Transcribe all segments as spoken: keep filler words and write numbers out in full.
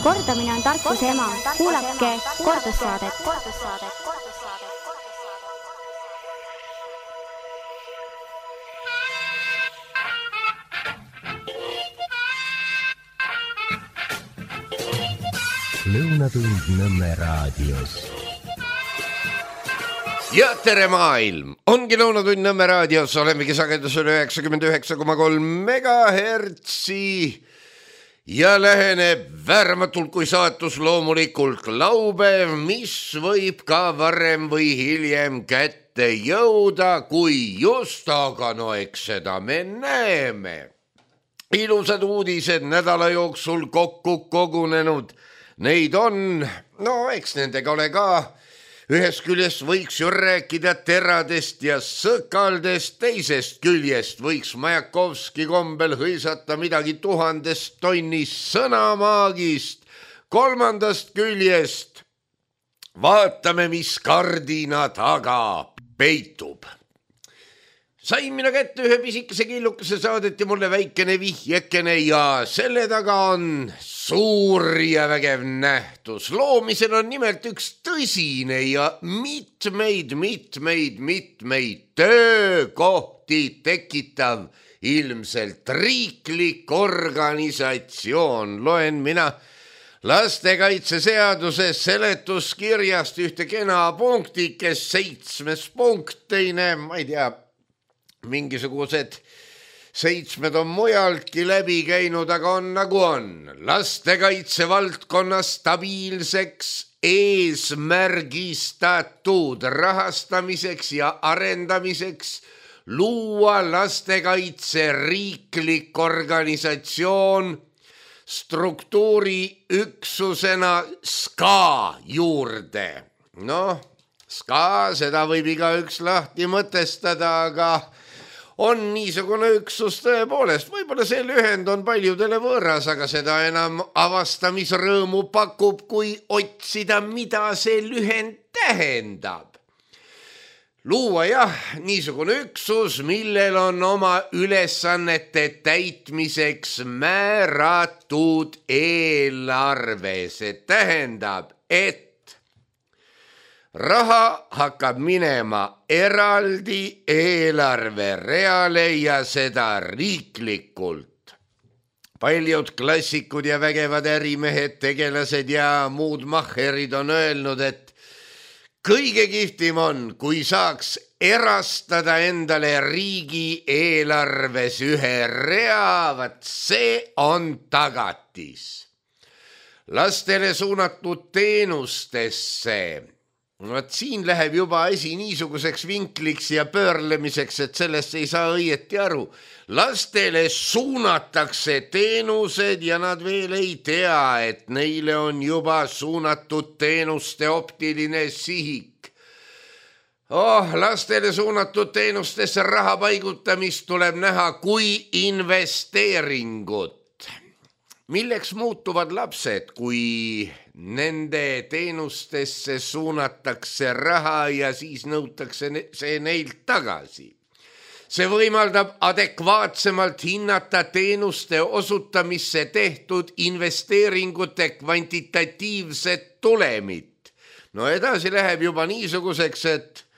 Kordamine on tarkuse ema. Kuulake kordussaadet. Lõunatund Nõmme raadios. Ja tere maailm! Ongi Lõunatund Nõmme raadios, olemegi sagedusel üheksakümmend üheksa koma kolm megahertsi ja läheneb vääramatult kui saatus loomulikult laupäev, mis võib ka varem või hiljem kätte jõuda, kui just, aga no eks seda me näeme. Ilusad uudised nädala jooksul kokku kogunenud. Neid on, no eks nendega ole ka. Ühest küljest võiks ju rääkida teradest ja sõkaldest, teisest küljest võiks Majakovski kombel hõisata midagi tuhandest tonnist sõnamaagist. Kolmandast küljest vaatame, mis kardina taga peitub. Sain mina kätte ühe pisikese killukese, saadeti mulle väikene vihjekene ja selle taga on suur ja vägev nähtus. Loomisel on nimelt üks tõsine ja mitmeid, mitmeid, mitmeid töökohti tekitav ilmselt riiklik organisatsioon. Loen mina lastekaitseseaduse seletuskirjast ühte kena punkti, kes seitsmes punkteine, ma ei tea, mingisugused seitsmed on mujaltki läbi käinud, aga on nagu on. Lastekaitse valdkonna stabiilseks eesmärgistatud rahastamiseks ja arendamiseks luua lastekaitse riiklik organisatsioon struktuuri üksusena S K A juurde. Noh, S K A, seda võib igaüks lahti mõtestada, aga on niisugune üksus tõepoolest. Võib-olla see lühend on paljudele võõras, aga seda enam avastamisrõõmu pakub, kui otsida, mida see lühend tähendab. Luua jah, niisugune üksus, millel on oma ülesannete täitmiseks määratud eelarve. See tähendab, et raha hakkab minema eraldi eelarvereale ja seda riiklikult. Paljud klassikud ja vägevad ärimehed, tegelased ja muud mahherid on öelnud, et kõige kihvtim on, kui saaks erastada endale riigi eelarves ühe rea, vaat see on tagatis. Lastele suunatud teenustesse. Vaat siin läheb juba asi niisuguseks vinkliks ja pöörlemiseks, et sellest ei saa õieti aru. Lastele suunatakse teenused ja nad veel ei tea, et neile on juba suunatud teenuste optiline sihik. Oh, lastele suunatud teenustesse raha paigutamist tuleb näha kui investeeringut. Milleks muutuvad lapsed, kui nende teenustesse suunatakse raha ja siis nõutakse see neilt tagasi? See võimaldab adekvaatsemalt hinnata teenuste osutamisse tehtud investeeringute kvantitatiivset tulemit. No edasi läheb juba niisuguseks, et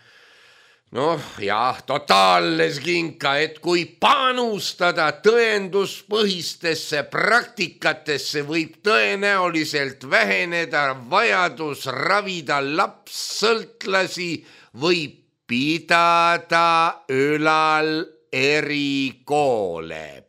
noh, jah, totaalles kinka, et kui panustada tõenduspõhistesse praktikatesse, võib tõenäoliselt väheneda vajadus ravida lapssõltlasi või pidada ülal erikoole.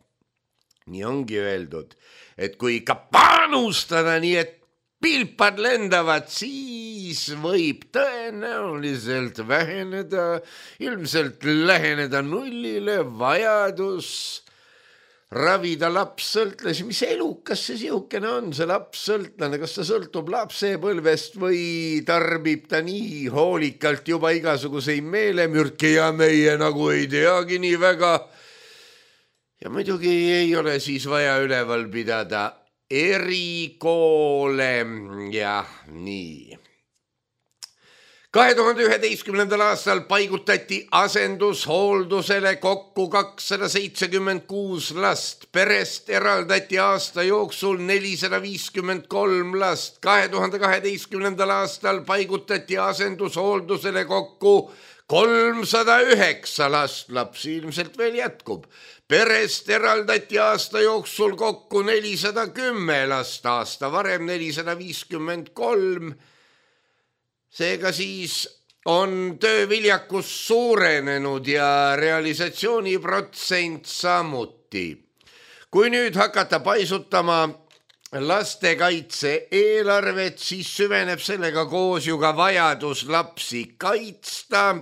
Nii ongi öeldud, et kui ka panustada nii, et pilpad lendavad, siis võib tõenäoliselt väheneda, ilmselt läheneda nullile vajadus ravida lapssõltlasi. Mis elukas see sihukene on, see lapssõltlane? Kas ta sõltub lapsepõlvest või tarbib ta nii hoolikalt juba igasuguseid meelemürke ja meie nagu ei teagi nii väga? Ja muidugi ei ole siis vaja üleval pidada erikoole, jah, nii. kahe tuhande üheteistkümnendal aastal paigutati asendushooldusele kokku kakssada seitsekümmend kuus last. Perest eraldati aasta jooksul nelisada viiskümmend kolm last. kahe tuhande kaheteistkümnendal aastal paigutati asendushooldusele kokku kolmsada üheksa last. Lapsi ilmselt veel jätkub. Perest eraldati aasta jooksul kokku nelisada kümme last. Aasta varem nelisada viiskümmend kolm. Seega siis on tööviljakus suurenenud ja realisatsiooniprotsent samuti. Kui nüüd hakata paisutama lastekaitse eelarvet, siis süveneb sellega koos ju ka vajadus lapsi kaitsta.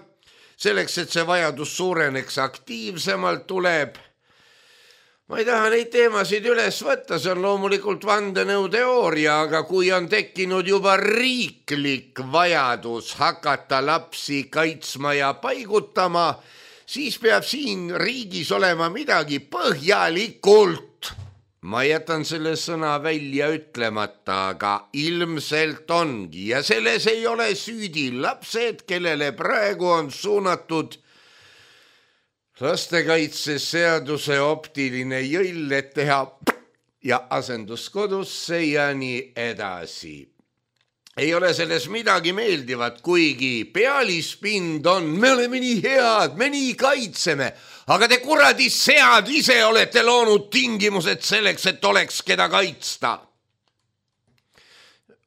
Selleks, et see vajadus suureneks aktiivsemalt, tuleb ma ei taha neid teemasid üles võtta, see on loomulikult vandenõuteooria, aga kui on tekkinud juba riiklik vajadus hakata lapsi kaitsma ja paigutama, siis peab siin riigis olema midagi põhjalikult. Ma jätan selle sõna välja ütlemata, aga ilmselt ongi ja selles ei ole süüdi lapsed, kellele praegu on suunatud lastekaitseseaduse optiline jõll, et teha ja asenduskodusse ja nii edasi. Ei ole selles midagi meeldivat, kuigi pealispind on, me oleme nii head, me nii kaitseme, aga te kuradi sead ise olete loonud tingimused selleks, et oleks keda kaitsta.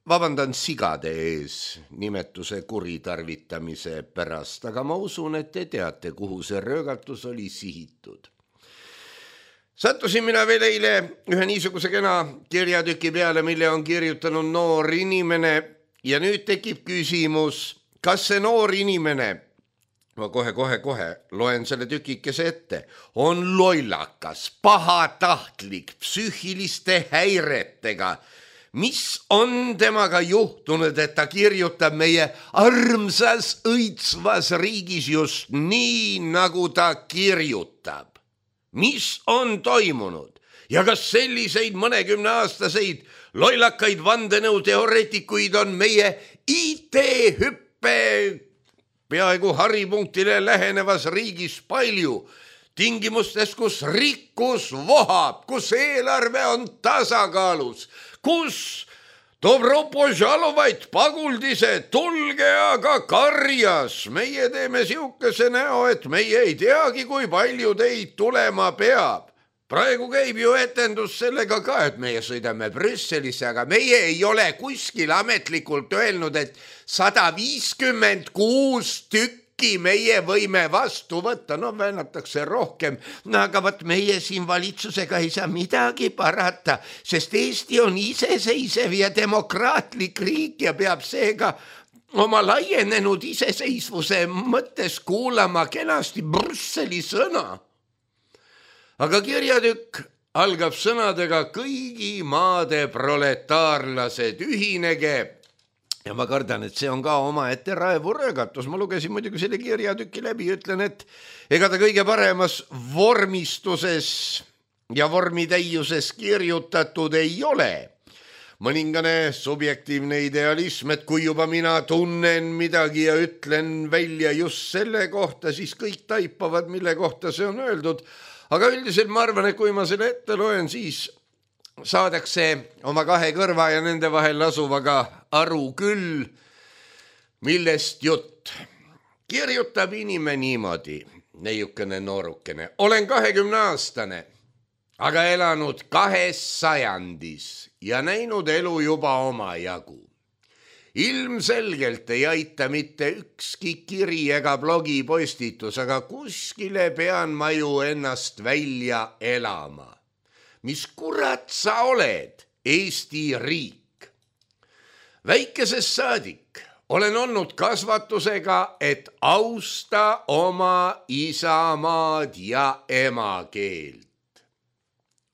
Vabandan sigade ees nimetuse kuritarvitamise pärast, aga ma usun, et te teate, kuhu see röögatus oli sihitud. Sattusin mina veel eile ühe niisuguse kena kirjatüki peale, mille on kirjutanud noor inimene ja nüüd tekib küsimus, kas see noor inimene, ma kohe, kohe, kohe loen selle tükikese ette, on lollakas, pahatahtlik, psüühiliste häiretega. Mis on temaga juhtunud, et ta kirjutab meie armsas õitsvas riigis just nii, nagu ta kirjutab? Mis on toimunud? Ja kas selliseid mõnekümne aastaseid lollakaid vandenõuteoreetikuid on meie I T-hüppe peaaegu haripunktile lähenevas riigis palju? Tingimustes, kus rikkus vohab, kus eelarve on tasakaalus, kus Dobropožalovaid paguldised, tulge aga karjas. Meie teeme siukese näo, et meie ei teagi, kui palju teid tulema peab. Praegu käib ju etendus sellega ka, et meie sõidame Brüsselisse, aga meie ei ole kuskil ametlikult öelnud, et sada viiskümmend kuus tükki meie võime vastu võtta, no väänatakse rohkem, no aga võt meie siin valitsusega ei saa midagi parata, sest Eesti on iseseisev ja demokraatlik riik ja peab seega oma laienenud iseseisvuse mõttes kuulama kenasti Brüsseli sõna. Aga kirjatükk algab sõnadega kõigi maade proletaarlased ühinege. Ja ma kardan, et see on ka oma ette raevuröögatus. Ma lugesin muidugi selle kirjatüki läbi, ütlen, et ega ta kõige paremas vormistuses ja vormitäiuses kirjutatud ei ole. Mõningane subjektiivne idealism, et kui juba mina tunnen midagi ja ütlen välja just selle kohta, siis kõik taipavad, mille kohta see on öeldud. Aga üldiselt ma arvan, et kui ma selle ette loen, siis saadakse oma kahe kõrva ja nende vahel asuvaga aru küll, millest jutt. Kirjutab inimene niimoodi, neiukene noorukene. Olen kahekümne aastane, aga elanud kahes sajandis ja näinud elu juba oma jagu. Ilmselgelt ei aita mitte ükski kiri ega blogipostitus, aga kuskile pean ma ju ennast välja elama. Mis kurat sa oled, Eesti riik? Väikesest saadik olen olnud kasvatusega, et austa oma isamaad ja emakeelt.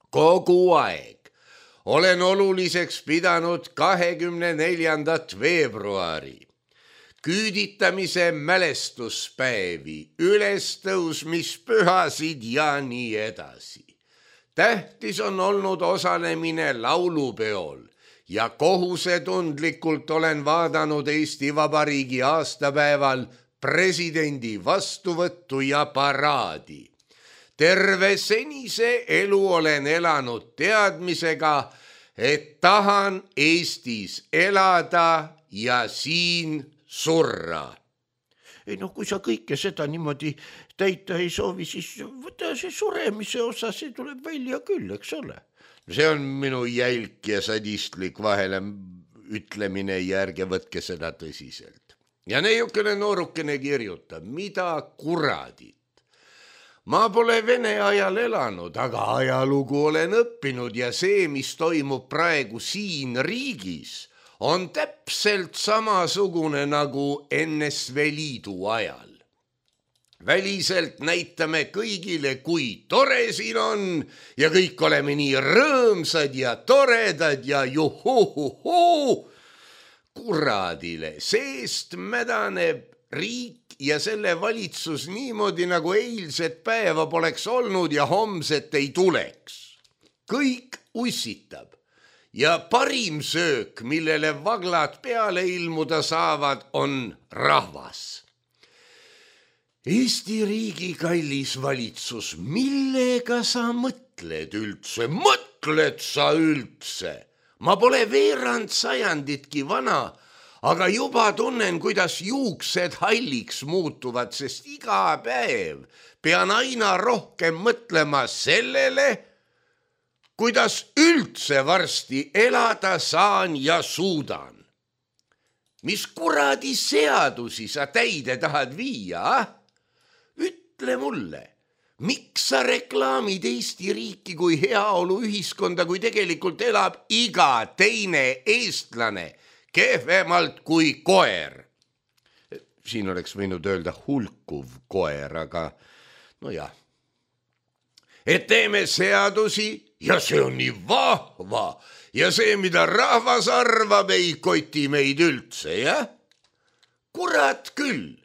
Kogu aeg olen oluliseks pidanud kahekümne neljandat veebruari, küüditamise mälestuspäevi, ülestõusmispühasid ja nii edasi. Tähtis on olnud osalemine laulupeol ja kohusetundlikult olen vaadanud Eesti Vabariigi aastapäeval presidendi vastuvõttu ja paraadi. Terve senise elu olen elanud teadmisega, et tahan Eestis elada ja siin surra. Ei no kui sa kõike seda niimoodi täita ei soovi, siis võta see suremise osa, see tuleb välja küll, eks ole. See on minu jälk ja sadistlik vahele ütlemine ja ärge võtke seda tõsiselt. Ja neiukene noorukene kirjutab, mida kuradit. Ma pole Vene ajal elanud, aga ajalugu olen õppinud ja see, mis toimub praegu siin riigis, on täpselt samasugune nagu N S V Liidu ajal. Väliselt näitame kõigile, kui tore siin on ja kõik oleme nii rõõmsad ja toredad ja juhuhuhu. Kuradile, seest mädaneb riik ja selle valitsus niimoodi, nagu eilset päeva poleks olnud ja homset ei tuleks. Kõik ussitab ja parim söök, millele vaglad peale ilmuda saavad, on rahvas. Eesti riigi kallis valitsus, millega sa mõtled üldse? Mõtled sa üldse? Ma pole veerand sajanditki vana, aga juba tunnen, kuidas juuksed halliks muutuvad, sest iga päev pean aina rohkem mõtlema sellele, kuidas üldse varsti elada saan ja suudan. Mis kuradi seadusi sa täide tahad viia, ah? Ütle mulle, miks sa reklaamid Eesti riiki kui heaolu ühiskonda, kui tegelikult elab iga teine eestlane kehvemalt kui koer? Siin oleks võinud öelda hulkuv koer, aga no jah. Et teeme seadusi ja see on nii vahva ja see, mida rahvas arvab, ei koti meid üldse, jah? Kurat küll.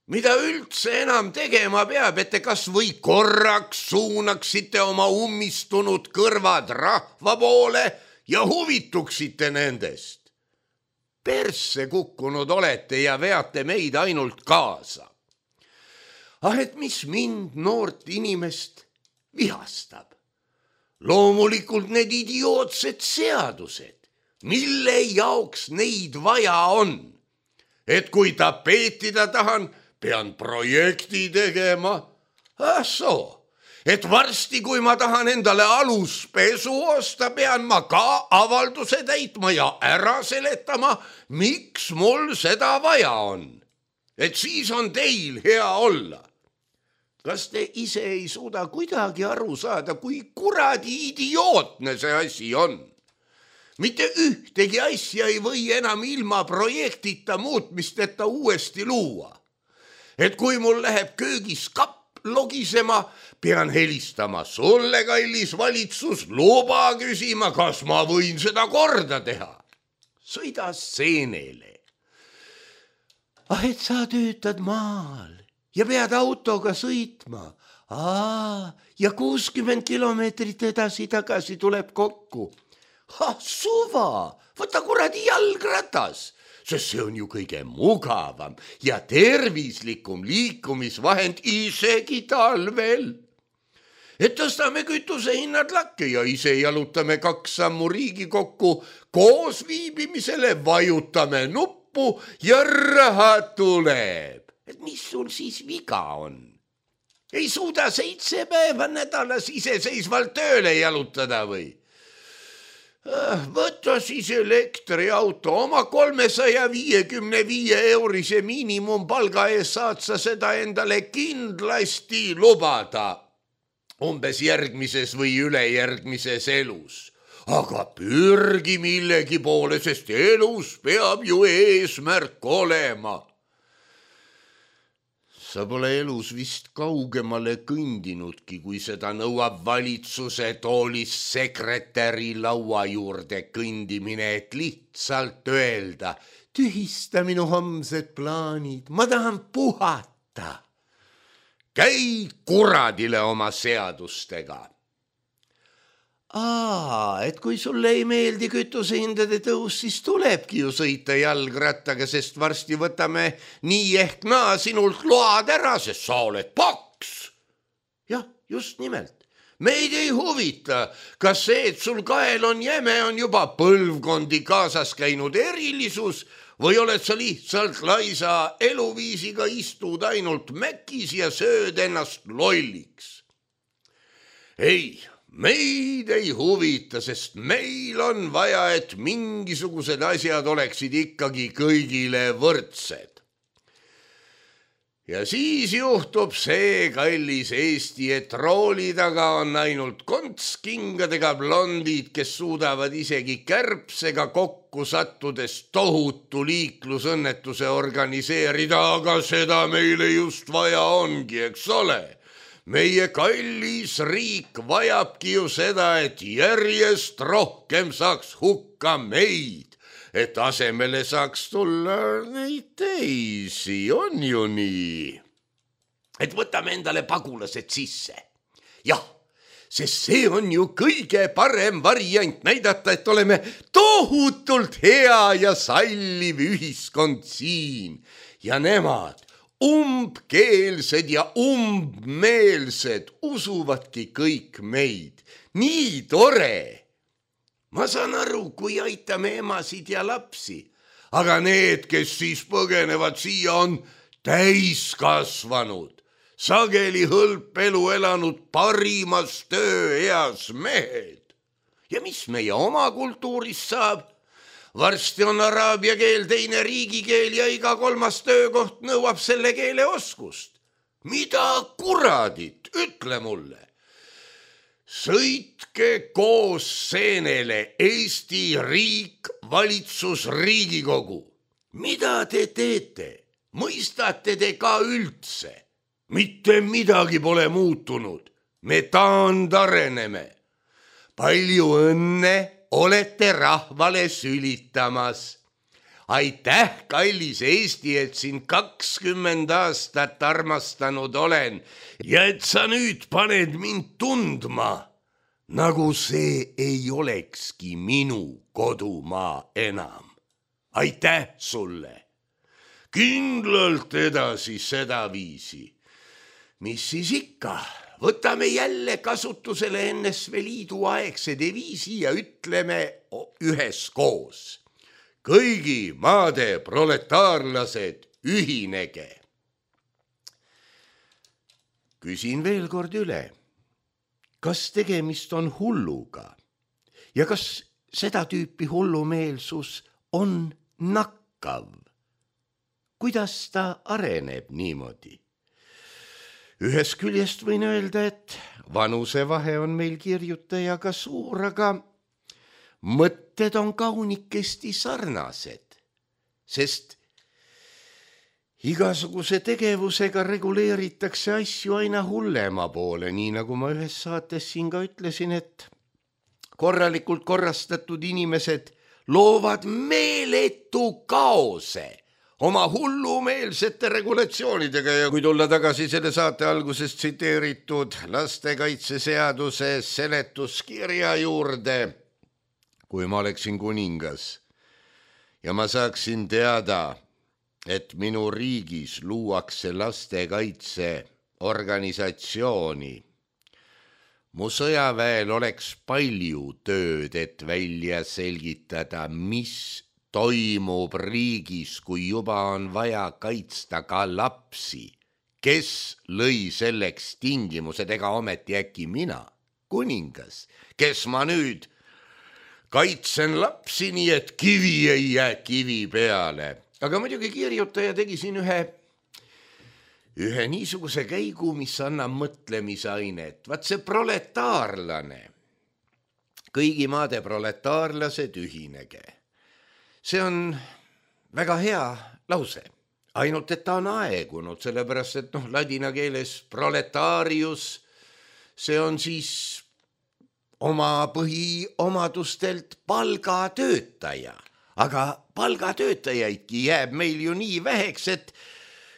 Mida üldse enam tegema peab, et te kas või korraks suunaksite oma ummistunud kõrvad rahva poole ja huvituksite nendest. Persse kukkunud olete ja veate meid ainult kaasa. Ah, et mis mind noort inimest vihastab? Loomulikult need idiootsed seadused, mille jaoks neid vaja on. Et kui tapeetida tahan, pean projekti tegema. Ah soo, et varsti, kui ma tahan endale aluspesu osta, pean ma ka avalduse täitma ja ära seletama, miks mul seda vaja on. Et siis on teil hea olla. Kas te ise ei suuda kuidagi aru saada, kui kuradi idiootne see asi on? Mitte ühtegi asja ei või enam ilma projektita muutmisteta uuesti luua. Et kui mul läheb köögis kapp logisema, pean helistama sulle, kallis valitsus, luba küsima, kas ma võin seda korda teha. Sõida seenele. Ah, et sa töötad maal ja pead autoga sõitma. Aa, ja kuuskümmend kilomeetrit edasi tagasi tuleb kokku. Ah, suva, võta kuradi jalgratas. Sest see on ju kõige mugavam ja tervislikum liikumisvahend isegi talvel. Et tõstame kütuse hinnad lakke ja ise jalutame kaks sammu Riigikokku, koos viibimisele vajutame nuppu ja raha tuleb. Et mis sul siis viga on? Ei suuda seitse päeva nädalas iseseisvalt tööle jalutada või? Võta siis elektriauto, oma kolmesaja viiekümne viie eurise miinimumpalga ees saad sa seda endale kindlasti lubada umbes järgmises või ülejärgmises elus. Aga pürgi millegi poole, sest elus peab ju eesmärk olema. Sa pole elus vist kaugemale kõndinudki, kui seda nõuab valitsuse toolis sekretäri laua juurde kõndimine, et lihtsalt öelda, tühista minu homsed plaanid, ma tahan puhata. Käi kuradile oma seadustega. Aa, et kui sulle ei meeldi kütusehindade tõus, siis tulebki ju sõita jalgrattaga, sest varsti võtame nii ehk naa sinult load ära, sest sa oled paks. Jah, just nimelt. Meid ei huvita, kas see, et sul kael on jäme, on juba põlvkondi kaasas käinud erilisus või oled sa lihtsalt laisa eluviisiga, istud ainult mäkis ja sööd ennast lolliks. Ei, meid ei huvita, sest meil on vaja, et mingisugused asjad oleksid ikkagi kõigile võrdsed. Ja siis juhtub see, kallis Eesti, et rooli taga on ainult kontskingadega blondid, kes suudavad isegi kärbsega kokku sattudes tohutu liiklusõnnetuse organiseerida, aga seda meile just vaja ongi, eks ole. Meie kallis riik vajabki ju seda, et järjest rohkem saaks hukka meid, et asemele saaks tulla neid teisi, on ju nii. Et võtame endale pagulased sisse. Jah, sest see on ju kõige parem variant näidata, et oleme tohutult hea ja salliv ühiskond siin ja nemad umbkeelsed ja umbmeelsed usuvadki kõik meid. Nii tore! Ma saan aru, kui aitame emasid ja lapsi, aga need, kes siis põgenevad siia, on täiskasvanud, sageli hõlpelu elanud parimas tööeas mehed. Ja mis meie oma kultuurist saab? Varsti on araabia keel teine riigikeel ja iga kolmas töökoht nõuab selle keele oskust. Mida kuradit, ütle mulle. Sõitke koos seenele Eesti riik, valitsus, Riigikogu. Mida te teete? Mõistate te ka üldse? Mitte midagi pole muutunud. Me taandareneme. Palju õnne! Olete rahvale sülitamas. Aitäh, kallis Eesti, et sind kakskümmend aastat armastanud olen ja et sa nüüd paned mind tundma, nagu see ei olekski minu kodumaa enam. Aitäh sulle. Kindlalt edasi seda viisi. Mis siis ikka? Võtame jälle kasutusele N S V Liidu aegse deviisi ja ütleme üheskoos. Kõigi maade proletaarlased ühinege. Küsin veel kord üle. Kas tegemist on hulluga? Ja kas seda tüüpi hullumeelsus on nakkav? Kuidas ta areneb niimoodi? Ühes küljest võin öelda, et vanusevahe on meil kirjutajaga suur, aga mõtted on kaunikesti sarnased, sest igasuguse tegevusega reguleeritakse asju aina hullema poole, nii nagu ma ühes saates siin ka ütlesin, et korralikult korrastatud inimesed loovad meeletu kaose oma hullumeelsete regulatsioonidega ja kui tulla tagasi selle saate alguses tsiteeritud lastekaitseseaduse seletuskirja juurde, kui ma oleksin kuningas ja ma saaksin teada, et minu riigis luuakse lastekaitse organisatsiooni, mu sõjaväel oleks palju tööd, et välja selgitada, mis toimub riigis, kui juba on vaja kaitsta ka lapsi. Kes lõi selleks tingimused, ega ometi äkki mina, kuningas, kes ma nüüd kaitsen lapsi, nii et kivi ei jää kivi peale. Aga muidugi kirjutaja tegi siin ühe, ühe niisuguse käigu, mis annab mõtlemisainet. Vaat see proletaarlane, kõigi maade proletaarlased ühinege. See on väga hea lause, ainult et ta on aegunud, sellepärast et noh, ladina keeles proletarius, see on siis oma põhiomadustelt palgatöötaja, aga palgatöötajaidki jääb meil ju nii väheks, et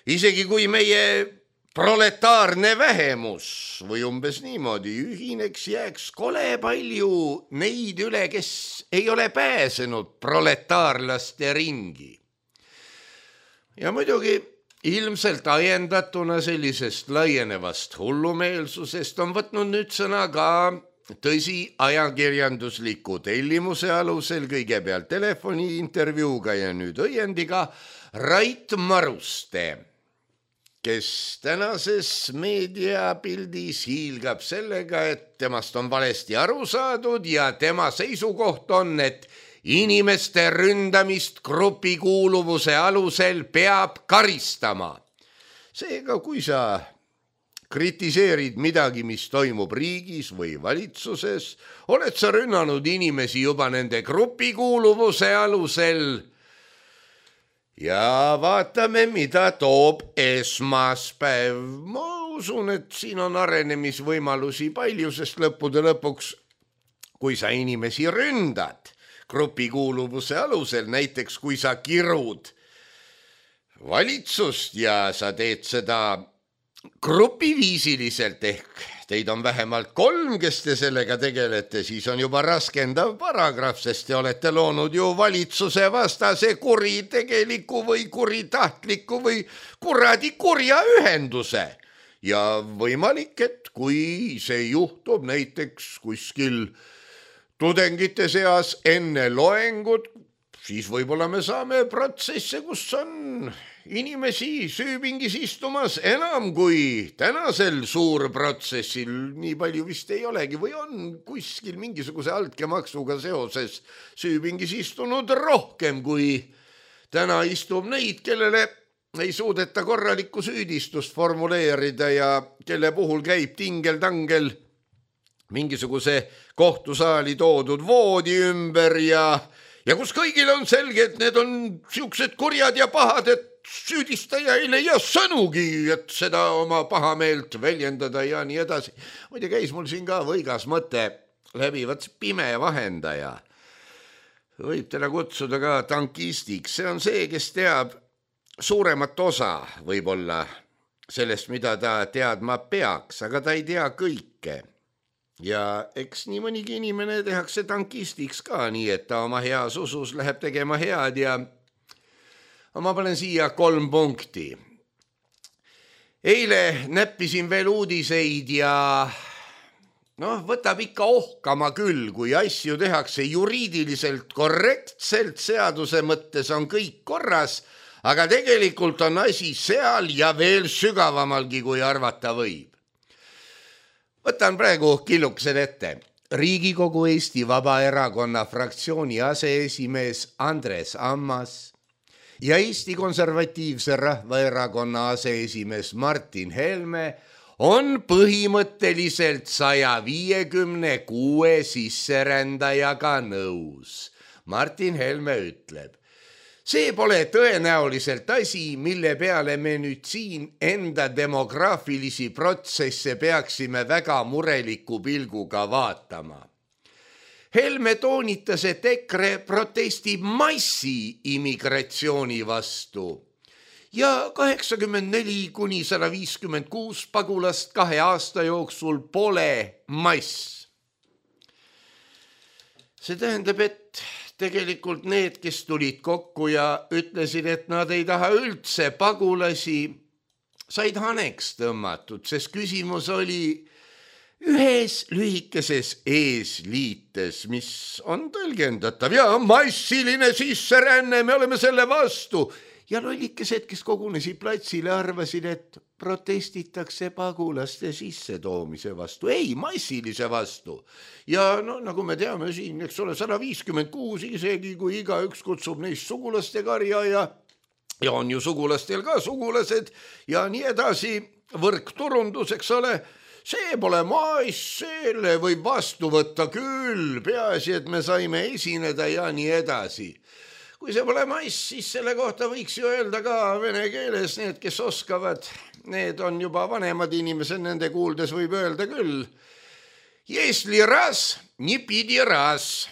isegi kui meie proletaarne vähemus või umbes niimoodi ühineks jääks kole palju neid üle, kes ei ole pääsenud proletaarlaste ringi. Ja muidugi ilmselt ajendatuna sellisest laienevast hullumeelsusest on võtnud nüüd sõna ka tõsi ajakirjandusliku tellimuse alusel kõigepealt telefoni intervjuuga ja nüüd õiendiga Rait Maruste, kes tänases meediapildis hiilgab sellega, et temast on valesti aru saadud ja tema seisukoht on, et inimeste ründamist grupikuuluvuse alusel peab karistama. Seega, kui sa kritiseerid midagi, mis toimub riigis või valitsuses, oled sa rünnanud inimesi juba nende grupikuuluvuse alusel. Ja vaatame, mida toob esmaspäev. Ma usun, et siin on arenemisvõimalusi palju, sest lõppude lõpuks, kui sa inimesi ründad grupikuuluvuse alusel, näiteks kui sa kirud valitsust ja sa teed seda grupiviisiliselt ehk teid on vähemalt kolm, kes te sellega tegelete, siis on juba raskendav paragrahv, sest te olete loonud ju valitsuse vastase kuritegeliku või kuritahtliku või kuradi kurja ühenduse. Ja võimalik, et kui see juhtub näiteks kuskil tudengite seas enne loengut, siis võib-olla me saame protsesse, kus on inimesi süüpingis istumas enam kui tänasel suurprotsessil. Nii palju vist ei olegi või on kuskil mingisuguse altkäemaksuga seoses süüpingis istunud rohkem kui täna istub neid, kellele ei suudeta korralikku süüdistust formuleerida ja kelle puhul käib tingel-tangel mingisuguse kohtusaali toodud voodi ümber ja, ja kus kõigil on selge, et need on siuksed kurjad ja pahad, et süüdistaja ei leia sõnugi, et seda oma pahameelt väljendada ja nii edasi. Muide, käis mul siin ka võigas mõte läbi, vaat pime vahendaja. Võib teda kutsuda ka tankistiks. See on see, kes teab suuremat osa võib-olla sellest, mida ta teadma peaks, aga ta ei tea kõike. Ja eks nii mõnigi inimene tehakse tankistiks ka nii, et ta oma heas usus läheb tegema head ja ma panen siia kolm punkti. Eile näppisin veel uudiseid ja noh, võtab ikka ohkama küll, kui asju tehakse juriidiliselt korrektselt, seaduse mõttes on kõik korras, aga tegelikult on asi seal ja veel sügavamalgi, kui arvata võib. Võtan praegu killukesed ette. Riigikogu Eesti Vabaerakonna fraktsiooni aseesimees Andres Ammas ja Eesti Konservatiivse Rahvaerakonna aseesimees Martin Helme on põhimõtteliselt saja viiekümne kuue sisserändajaga nõus. Martin Helme ütleb, see pole tõenäoliselt asi, mille peale me nüüd siin enda demograafilisi protsesse peaksime väga mureliku pilguga vaatama. Helme toonitas, et EKRE protestib massi immigratsiooni vastu ja kaheksakümmend neli kuni sada viiskümmend kuus pagulast kahe aasta jooksul pole mass. See tähendab, et tegelikult need, kes tulid kokku ja ütlesid, et nad ei taha üldse pagulasi, said haneks tõmmatud, sest küsimus oli ühes lühikeses eesliites, mis on tõlgendatav ja massiline sisseränne, me oleme selle vastu. Ja lollikesed, kes kogunesid platsile, arvasid, et protestitakse pagulaste sissetoomise vastu. Ei, massilise vastu. Ja no, nagu me teame siin, eks ole, sada viiskümmend kuus, isegi kui iga üks kutsub neist sugulaste karja ja, ja on ju sugulastel ka sugulased ja nii edasi, võrkturundus, eks ole, see pole maas, selle võib vastu võtta küll, peaasi, et me saime esineda ja nii edasi. Kui see pole mass, siis selle kohta võiks ju öelda ka vene keeles, need, kes oskavad, need on juba vanemad inimesed, nende kuuldes võib öelda küll. Если раз, не pidi раз.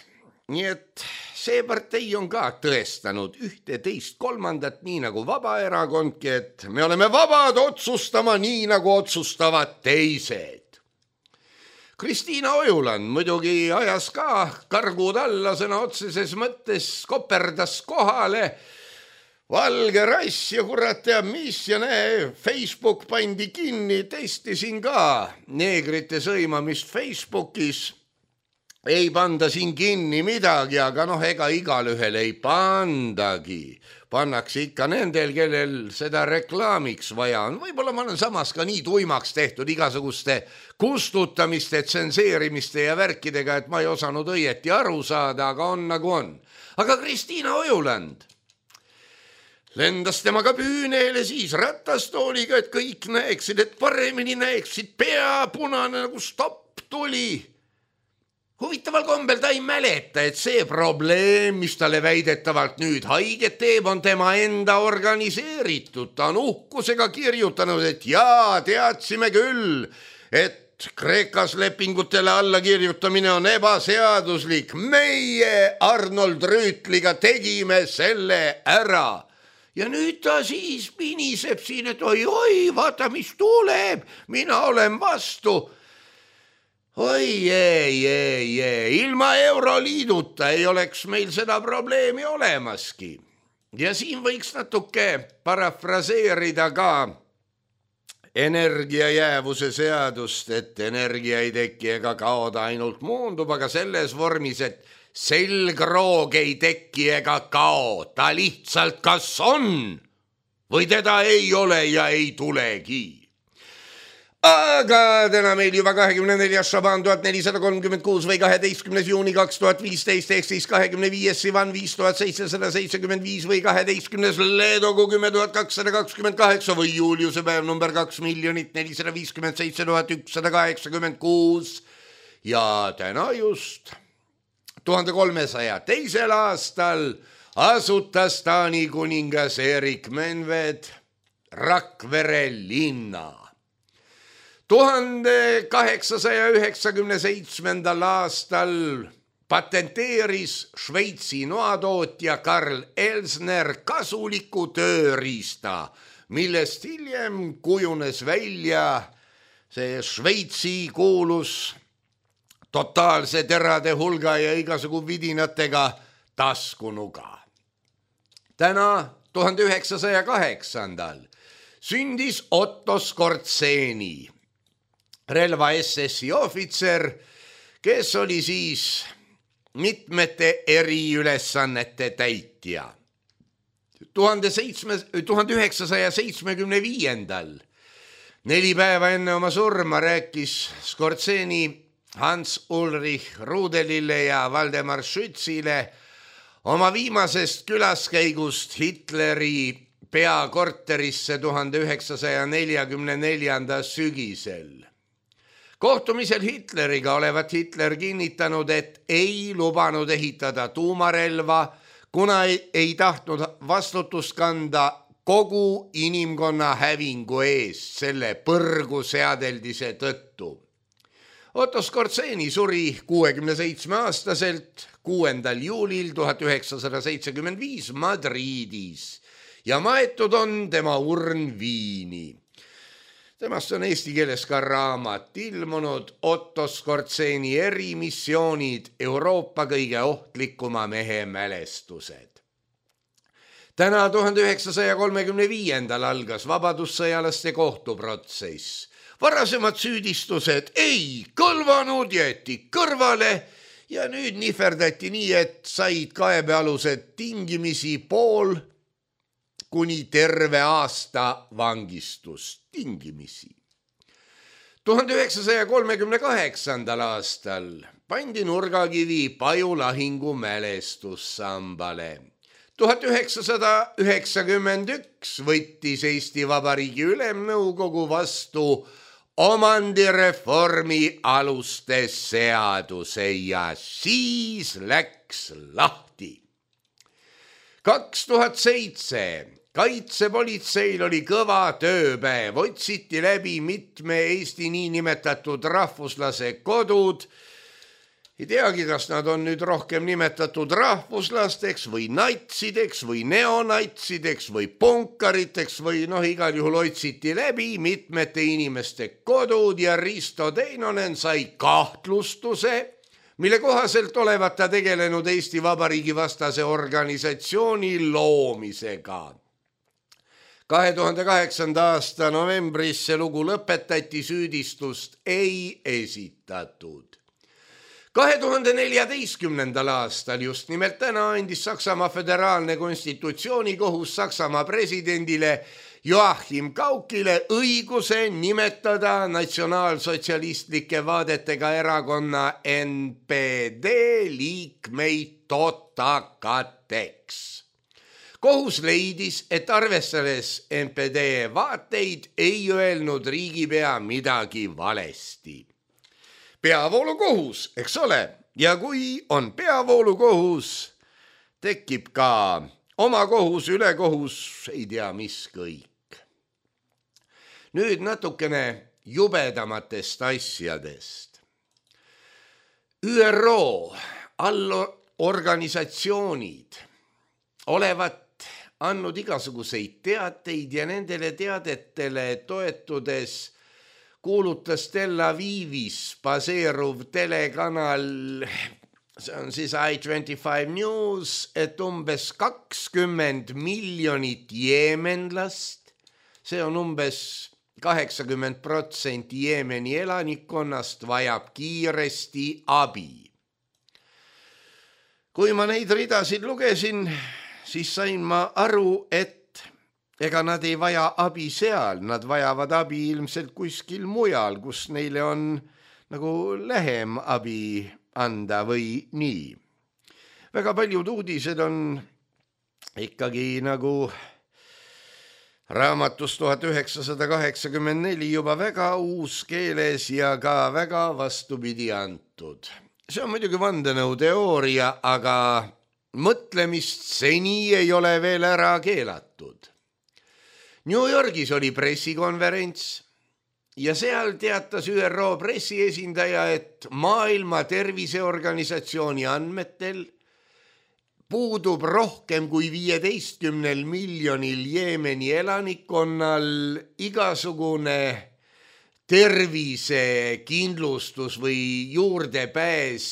Nii et see partei on ka tõestanud ühte teist kolmandat, nii nagu Vabaerakondki, et me oleme vabad otsustama nii, nagu otsustavad teised. Kristiina Ojuland muidugi ajas ka kargud alla, sõna otseses mõttes koperdas kohale. Valge rass ja kurat teab mis ja näe, Facebook pandi kinni, testisin ka neegrite sõimamist Facebookis. Ei panda siin kinni midagi, aga noh, ega igal ühel ei pandagi. Pannakse ikka nendel, kellel seda reklaamiks vaja on. Võib-olla ma olen samas ka nii tuimaks tehtud igasuguste kustutamiste, tsenseerimiste ja värkidega, et ma ei osanud õieti aru saada, aga on nagu on. Aga Kristiina Ojuland lendas temaga püüneele siis ratastooliga, et kõik näeksid, et paremini näeksid, pea punane nagu stopp tuli. Huvitaval kombel ta ei mäleta, et see probleem, mis talle väidetavalt nüüd haiget teeb, on tema enda organiseeritud. Ta on uhkusega kirjutanud, et jaa, teadsime küll, et Kreekas lepingutele alla kirjutamine on ebaseaduslik. Meie Arnold Rüütliga tegime selle ära. Ja nüüd ta siis piniseb siin, et oi, oi, vaata, mis tuleb, mina olen vastu. Oi, ei, ei, ei, ilma Euroliiduta ei oleks meil seda probleemi olemaski. Ja siin võiks natuke parafraseerida ka energiajäävuse seadust, et energia ei teki ega kaoda, ainult muundub, aga selles vormis, et selgroog ei teki ega kao, ta lihtsalt kas on või teda ei ole ja ei tulegi. Aga täna meil juba kahekümne neljas Šaban tuhat nelisada kolmkümmend kuus või kaheteistkümnes juuni kaks tuhat viisteist ehk siis kahekümne viies Sivan viis tuhat seitsesada seitsekümmend viis või kaheteistkümnes Leedogu kümme tuhat kakssada kakskümmend kaheksa või Juliuse päev number kaks miljonit nelisada viiskümmend seitse tuhat ükssada kaheksakümmend kuus ja täna just tuhande kolmesaja teisel aastal asutas Taani kuningas Erik Menved Rakvere linna. tuhande kaheksasaja üheksakümne seitsmendal aastal patenteeris Šveitsi noatootja Karl Elsner kasuliku tööriista, millest hiljem kujunes välja see Šveitsi kuulus totaalse terade hulga ja igasugu vidinatega taskunuga. Täna tuhande üheksasaja kaheksandal sündis Otto Skortseni, relva S S-i ohvitser, kes oli siis mitmete eriülesannete täitja. tuhande üheksasaja seitsmekümne viiendal neli päeva enne oma surma rääkis Skortseni Hans Ulrich Rudelile ja Valdemar Schützile oma viimasest külaskäigust Hitleri peakorterisse tuhande üheksasaja neljakümne neljanda sügisel. Kohtumisel Hitleriga olevat Hitler kinnitanud, et ei lubanud ehitada tuumarelva, kuna ei, ei tahtnud vastutust kanda kogu inimkonna hävingu eest selle põrgu seadeldise tõttu. Otto Skortseni suri kuuekümne seitsme aastaselt kuuendal juulil tuhat üheksasada seitsekümmend viis Madridis ja maetud on tema urn Viini. Temast on eesti keeles ka raamat ilmunud Otto Skortseni erimissioonid Euroopa kõige ohtlikuma mehe mälestused. Täna tuhande üheksasaja kolmekümne viiendal algas vabadussõjalaste kohtuprotsess. Varasemad süüdistused ei kõlvanud, jäeti kõrvale ja nüüd nihverdati nii, et said kaebealused tingimisi pool kuni terve aasta vangistust tingimisi. tuhande üheksasaja kolmekümne kaheksandal aastal pandi nurgakivi Paju lahingu mälestussambale. tuhat üheksasada üheksakümmend üks võttis Eesti Vabariigi Ülemnõukogu vastu omandireformi aluste seaduse ja siis läks lahti. kaks tuhat seitse kaitsepolitseil oli kõva tööpäev, otsiti läbi mitme Eesti niinimetatud rahvuslase kodud ei teagi, kas nad on nüüd rohkem nimetatud rahvuslasteks või natsideks või neonatsideks või punkariteks või noh, igal juhul otsiti läbi mitmete inimeste kodud ja Risto Teinonen sai kahtlustuse, mille kohaselt olevat ta tegelenud Eesti Vabariigi vastase organisatsiooni loomisega. kahe tuhande kaheksanda aasta novembris see lugu lõpetati, süüdistust ei esitatud. kahe tuhande neljateistkümnendal aastal just nimelt täna andis Saksamaa föderaalne konstitutsioonikohus Saksamaa presidendile Joachim Gaukile õiguse nimetada natsionaalsotsialistlike vaadetega erakonna N P D liikmeid totakateks. Kohus leidis, et arvestades N P D vaateid ei öelnud riigipea midagi valesti. Peavoolukohus, eks ole, ja kui on peavoolukohus, tekib ka oma kohus, ülekohus, ei tea mis kõik. Nüüd natukene jubedamatest asjadest. Ü R O allorganisatsioonid olevat andnud igasuguseid teateid ja nendele teadetele toetudes kuulutas Tel Avivis baseeruv telekanal, see on siis I twenty-five News, et umbes kakskümmend miljonit jeemenlast, see on umbes kaheksakümmend protsenti Jeemeni elanikkonnast, vajab kiiresti abi. Kui ma neid ridasid lugesin, siis sain ma aru, et ega nad ei vaja abi seal, nad vajavad abi ilmselt kuskil mujal, kus neile on nagu lähem abi anda või nii. Väga paljud uudised on ikkagi nagu raamatus tuhat üheksasada kaheksakümmend neli juba väga uus keeles ja ka väga vastupidi antud. See on muidugi vandenõuteooria, aga mõtlemist seni ei ole veel ära keelatud. New Yorgis oli pressikonverents ja seal teatas Ü R O pressiesindaja, et Maailma Terviseorganisatsiooni andmetel puudub rohkem kui viieteistkümnel miljonil Jeemeni elanikkonnal igasugune tervisekindlustus või juurdepääs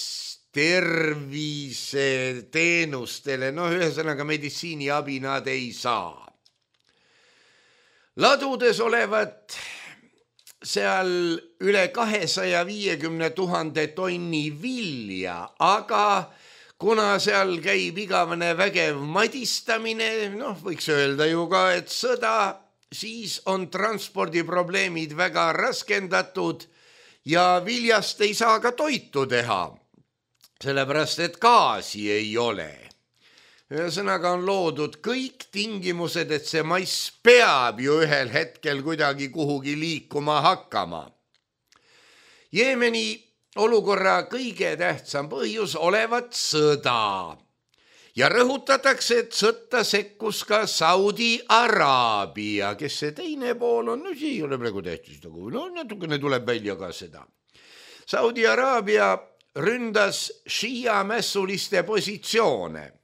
terviseteenustele, no ühesõnaga meditsiiniabi nad ei saa. Ladudes olevat seal üle kahesaja viiekümne tuhande tonni vilja, aga kuna seal käib igavene vägev madistamine, noh võiks öelda ju ka, et sõda, siis on transpordiprobleemid väga raskendatud ja viljast ei saa ka toitu teha, sellepärast et gaasi ei ole. Ühesõnaga on loodud kõik tingimused, et see mais peab ju ühel hetkel kuidagi kuhugi liikuma hakkama. Jeemeni olukorra kõige tähtsam põhjus olevat sõda ja rõhutatakse, et sõtta sekkus ka Saudi Araabia, kes see teine pool on, no see ei ole praegu tähtis, no natukene tuleb välja ka seda. Saudi Araabia ründas šiia mässuliste positsioone.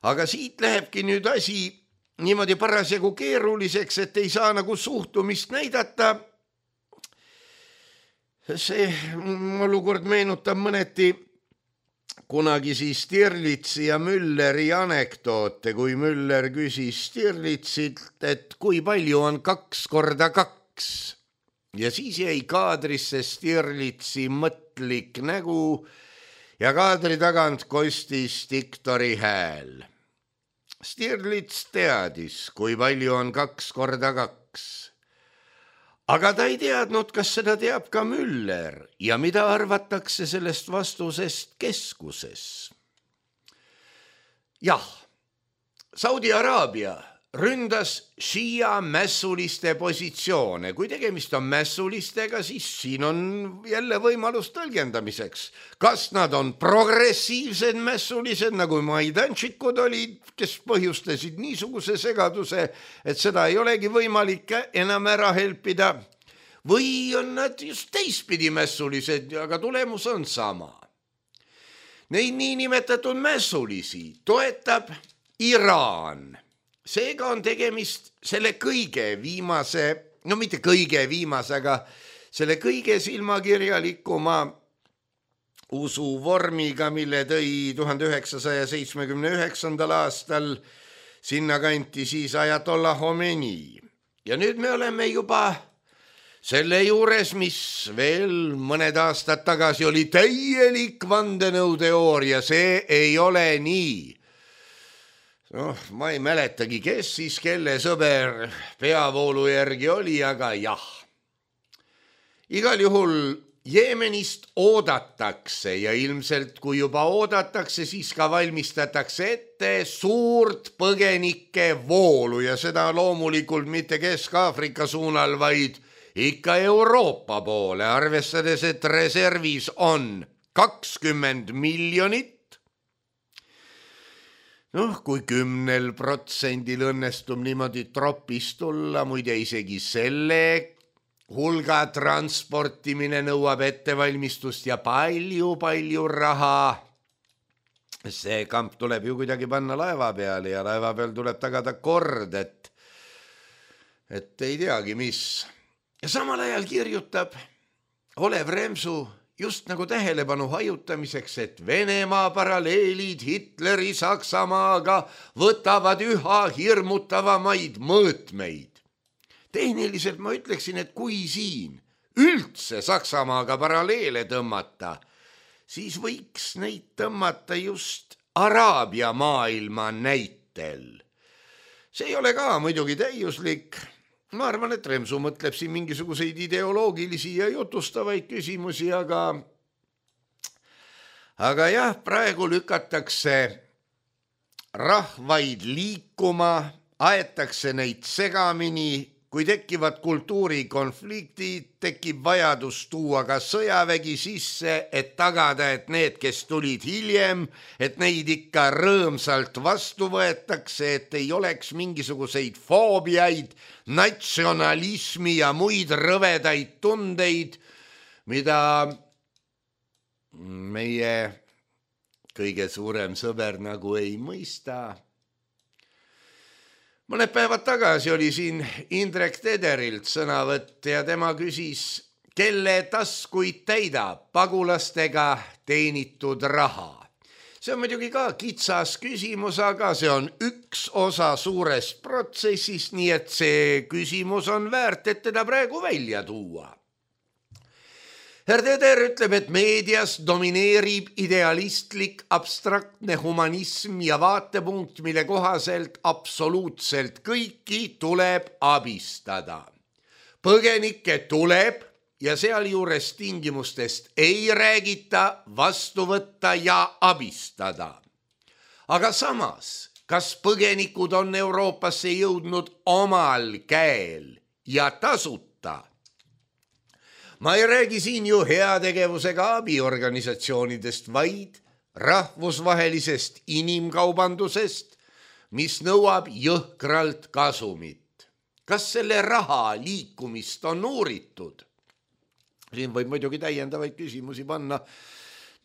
Aga siit lähebki nüüd asi niimoodi parasjagu keeruliseks, et ei saa nagu suhtumist näidata. See olukord meenutab mõneti kunagi siis Stirlitzi ja Mülleri anekdoote, kui Müller küsis Stirlitsilt, et kui palju on kaks korda kaks. Ja siis jäi kaadrisse Stirlitzi mõtlik nägu ja kaadri tagant kostis diktori hääl. Stirlitz teadis, kui palju on kaks korda kaks. Aga ta ei teadnud, kas seda teab ka Müller ja mida arvatakse sellest vastusest keskuses. Jah, Saudi Araabia ründas šiia mässuliste positsioone. Kui tegemist on mässulistega, siis siin on jälle võimalus tõlgendamiseks. Kas nad on progressiivsed mässulised, nagu maidanšikud olid, kes põhjustasid niisuguse segaduse, et seda ei olegi võimalik enam ära helpida, või on nad just teistpidi mässulised, aga tulemus on sama. Neid niinimetatud mässulisi toetab Iraan. Seega on tegemist selle kõige viimase, no mitte kõige viimase, aga selle kõige silmakirjalikuma usuvormiga, mille tõi tuhande üheksasaja seitsmekümne üheksandal aastal sinna kanti siis Ajatollah Khomeini. Ja nüüd me oleme juba selle juures, mis veel mõned aastad tagasi oli täielik vandenõuteooria, see ei ole nii. Noh, ma ei mäletagi, kes siis kelle sõber peavoolu järgi oli, aga jah. Igal juhul Jeemenist oodatakse ja ilmselt kui juba oodatakse, siis ka valmistatakse ette suurt põgenike voolu ja seda loomulikult mitte Kesk-Aafrika suunal, vaid ikka Euroopa poole, arvestades, et reservis on kakskümmend miljonit. Noh, kui kümnel protsendil õnnestub niimoodi tropist tulla, muide isegi selle hulga transportimine nõuab ettevalmistust ja palju-palju raha. See kamp tuleb ju kuidagi panna laeva peale ja laeva peal tuleb tagada kord, et, et ei teagi mis. Ja samal ajal kirjutab Olev Remsu just nagu tähelepanu hajutamiseks, et Venemaa paralleelid Hitleri Saksamaaga võtavad üha hirmutavamaid mõõtmeid. Tehniliselt ma ütleksin, et kui siin üldse Saksamaaga paralleele tõmmata, siis võiks neid tõmmata just Araabia maailma näitel. See ei ole ka muidugi täiuslik. Ma arvan, et Remsu mõtleb siin mingisuguseid ideoloogilisi ja jutustavaid küsimusi, aga, aga jah, praegu lükatakse rahvaid liikuma, aetakse neid segamini, kui tekivad kultuurikonfliktid, tekib vajadus tuua ka sõjavägi sisse, et tagada, et need, kes tulid hiljem, et neid ikka rõõmsalt vastu võetakse, et ei oleks mingisuguseid foobiaid, natsionalismi ja muid rõvedaid tundeid, mida meie kõige suurem sõber nagu ei mõista. Mõned päevad tagasi oli siin Indrek Tederilt sõnavõtt ja tema küsis, kelle taskuid täidab pagulastega teenitud raha. See on muidugi ka kitsas küsimus, aga see on üks osa suurest protsessist, nii et see küsimus on väärt, et teda praegu välja tuua. Herr Teder ütleb, et meedias domineerib idealistlik abstraktne humanism ja vaatepunkt, mille kohaselt absoluutselt kõiki tuleb abistada. Põgenikke tuleb ja sealjuures tingimustest ei räägita, vastu võtta ja abistada. Aga samas, kas põgenikud on Euroopasse jõudnud omal käel ja tasuta? Ma ei räägi siin ju heategevusega abiorganisatsioonidest, vaid rahvusvahelisest inimkaubandusest, mis nõuab jõhkralt kasumit. Kas selle raha liikumist on uuritud? Siin võib muidugi täiendavaid küsimusi panna,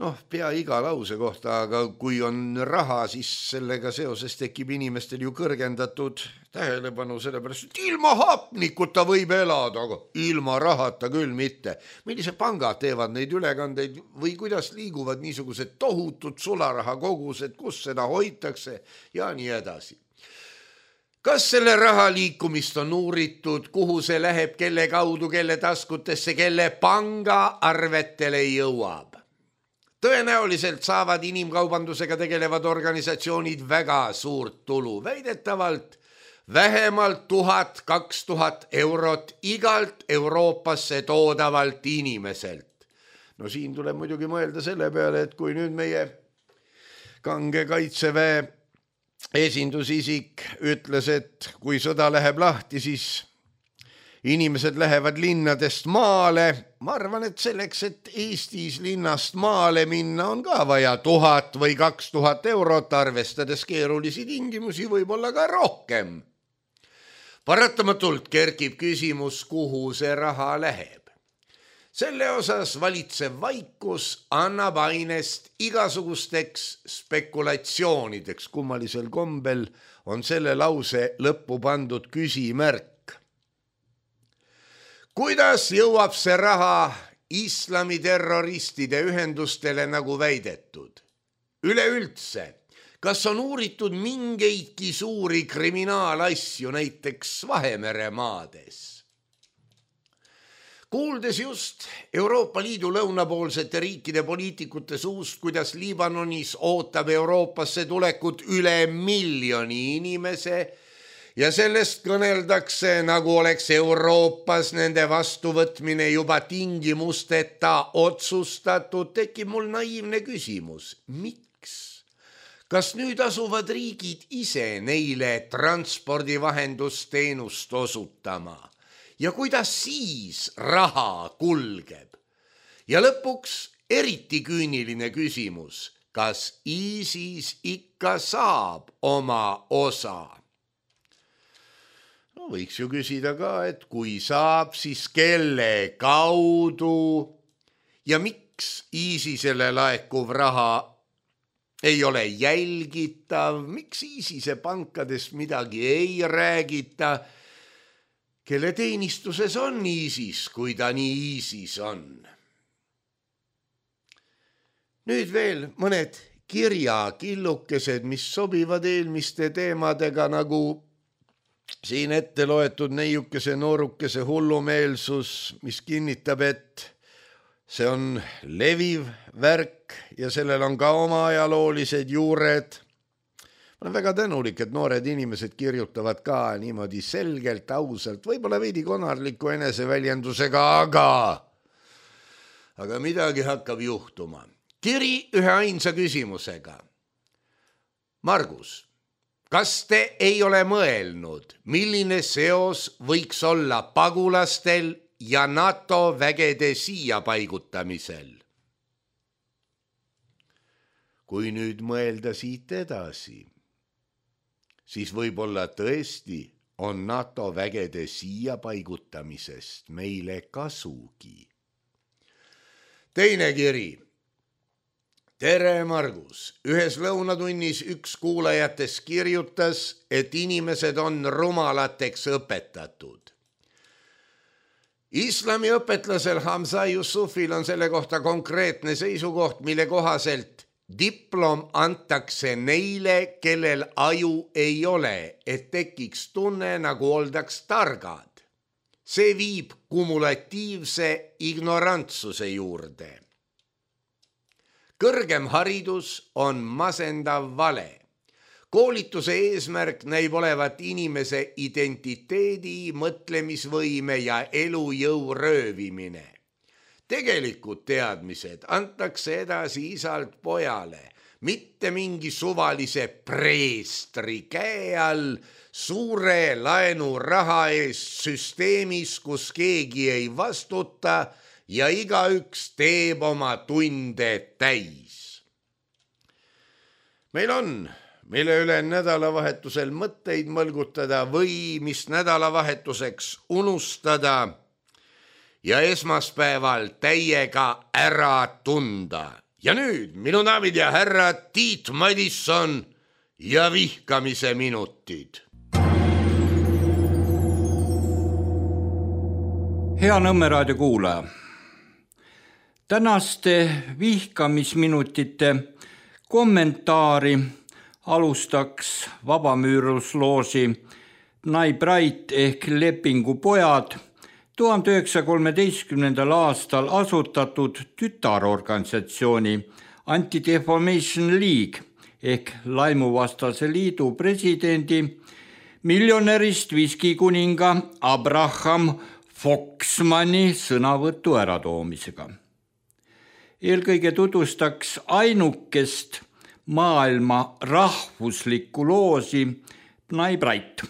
noh, pea iga lause kohta, aga kui on raha, siis sellega seoses tekib inimestel ju kõrgendatud tähelepanu, sellepärast, et ilma hapnikuta võib elada, aga ilma rahata küll mitte. Millised pangad teevad neid ülekandeid või kuidas liiguvad niisugused tohutud sularaha kogused, kus seda hoitakse ja nii edasi. Kas selle raha liikumist on uuritud, kuhu see läheb, kelle kaudu, kelle taskutesse, kelle panga arvetele jõuab? Tõenäoliselt saavad inimkaubandusega tegelevad organisatsioonid väga suurt tulu, väidetavalt vähemalt tuhat, kaks tuhat eurot igalt Euroopasse toodavalt inimeselt. No siin tuleb muidugi mõelda selle peale, et kui nüüd meie kange kaitseväe esindusisik ütles, et kui sõda läheb lahti, siis inimesed lähevad linnadest maale. Ma arvan, et selleks, et Eestis linnast maale minna, on ka vaja tuhat või kaks tuhat eurot, arvestades keerulisi tingimusi, võib-olla ka rohkem. Paratamatult kerkib küsimus, kuhu see raha läheb. Selle osas valitsev vaikus annab ainest igasugusteks spekulatsioonideks. Kummalisel kombel on selle lause lõppu pandud küsimärk. Kuidas jõuab see raha islamiterroristide ühendustele nagu väidetud? Üleüldse, kas on uuritud mingeidki suuri kriminaalasju näiteks Vahemere maades? Kuuldes just Euroopa Liidu lõunapoolsete riikide poliitikute suust, kuidas Liibanonis ootab Euroopasse tulekut üle miljoni inimese ja sellest kõneldakse, nagu oleks Euroopas nende vastuvõtmine juba tingimusteta otsustatud, tekib mul naiivne küsimus. Miks? Kas nüüd asuvad riigid ise neile transpordivahendusteenust osutama? Ja kuidas siis raha kulgeb? Ja lõpuks eriti küüniline küsimus, kas ISIS ikka saab oma osa? No võiks ju küsida ka, et kui saab, siis kelle kaudu ja miks ISISele laekuv raha ei ole jälgitav, miks ISISe pankadest midagi ei räägita, kelle teenistuses on ISIS, kui ta nii ISIS on. Nüüd veel mõned kirjakillukesed, mis sobivad eelmiste teemadega, nagu siin ette loetud neiukese noorukese hullumeelsus, mis kinnitab, et see on leviv värk ja sellel on ka oma ajaloolised juured. Ma olen väga tänulik, et noored inimesed kirjutavad ka niimoodi selgelt, ausalt, võib-olla veidi konarliku eneseväljendusega, aga, aga midagi hakkab juhtuma. Kiri ühe ainsa küsimusega. Margus, kas te ei ole mõelnud, milline seos võiks olla pagulastel ja NATO vägede siia paigutamisel? Kui nüüd mõelda siit edasi, siis võib-olla tõesti on NATO vägede siia paigutamisest meile kasugi. Teine kiri. Tere, Margus. Ühes lõunatunnis üks kuulajates kirjutas, et inimesed on rumalateks õpetatud. Islami õpetlasel Hamza Yusufil on selle kohta konkreetne seisukoht, mille kohaselt diplom antakse neile, kellel aju ei ole, et tekiks tunne, nagu oldaks targad. See viib kumulatiivse ignorantsuse juurde. Kõrgem haridus on masendav vale. Koolituse eesmärk näib olevat inimese identiteedi, mõtlemisvõime ja elujõu röövimine. Tegelikud teadmised antakse edasi isalt pojale, mitte mingi suvalise preestri käe all suure laenuraha eest süsteemis, kus keegi ei vastuta ja igaüks teeb oma tunde täis. Meil on, mille üle nädalavahetusel mõtteid mõlgutada või mis nädalavahetuseks unustada ja esmaspäeval täiega ära tunda. Ja nüüd minu daamid ja härrad, Tiit Madisson ja vihkamise minutid. Hea Nõmme raadio kuulaja. Tänaste vihkamisminutite kommentaari alustaks vabamüürusloosi Bnai Brait ehk Lepingupojad tuhande üheksasaja kolmeteistkümnendal aastal asutatud tütarorganisatsiooni Anti-Defamation League ehk laimuvastase liidu presidendi, miljonärist viskikuninga Abraham Foxmani sõnavõttu äratoomisega. Eelkõige tutvustaks ainukest maailma rahvuslikku loosi Bnai Brait.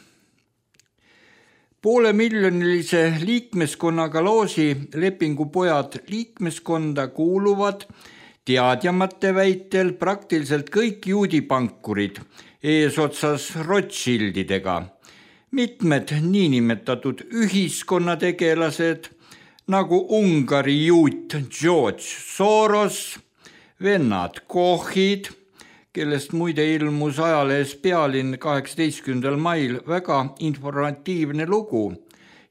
Poole miljonilise liikmeskonnaga loosi Lepingupojad liikmeskonda kuuluvad teadjamate väitel praktiliselt kõik juudipankurid eesotsas Rothschildidega, mitmed niinimetatud ühiskonnategelased nagu Ungari juut George Soros, vennad Kochid, kellest muide ilmus ajalehes Pealinn kaheksateistkümnendal mail väga informatiivne lugu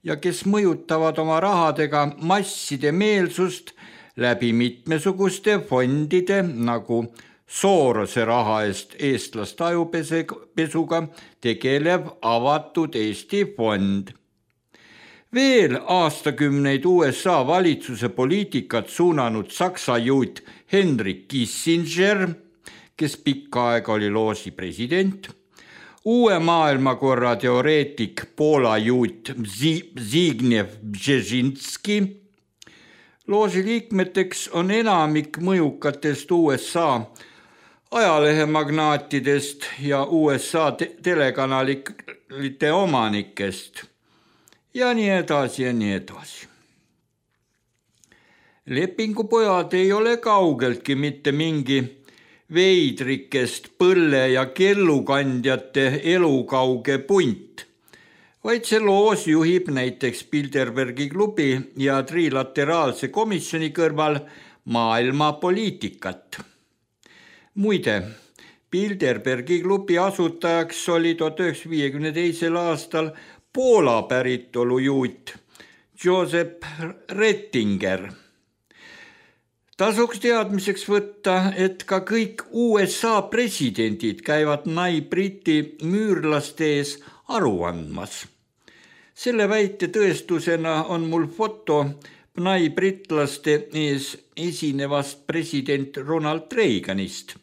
ja kes mõjutavad oma rahadega masside meelsust läbi mitmesuguste fondide nagu Sorose raha eest eestlast ajupesuga tegelev avatud Eesti fond. Veel aastakümneid U S A valitsuse poliitikat suunanud saksa juut Henry Kissinger, kes pikka aega oli loosi president, uue maailmakorra teoreetik Poola juut Zbigniew Brzezinski. Loosi liikmeteks on enamik mõjukatest U S A ajalehemagnaatidest ja U S A te- telekanalite omanikest ja nii edasi ja nii edasi. Lepingupojad ei ole kaugeltki mitte mingi veidrikest põlle- ja kellukandjate elukauge punt, vaid see loos juhib näiteks Bilderbergi klubi ja trilateraalse komisjoni kõrval maailma poliitikat. Muide, Bilderbergi klubi asutajaks oli tuhat üheksasaja viiekümne teisel aastal Poola päritolu juut Josep Rettinger. Tasuks teadmiseks võtta, et ka kõik U S A presidendid käivad nai-briti müürlaste ees aru andmas. Selle väite tõestusena on mul foto nai-britlaste ees esinevast president Ronald Reaganist,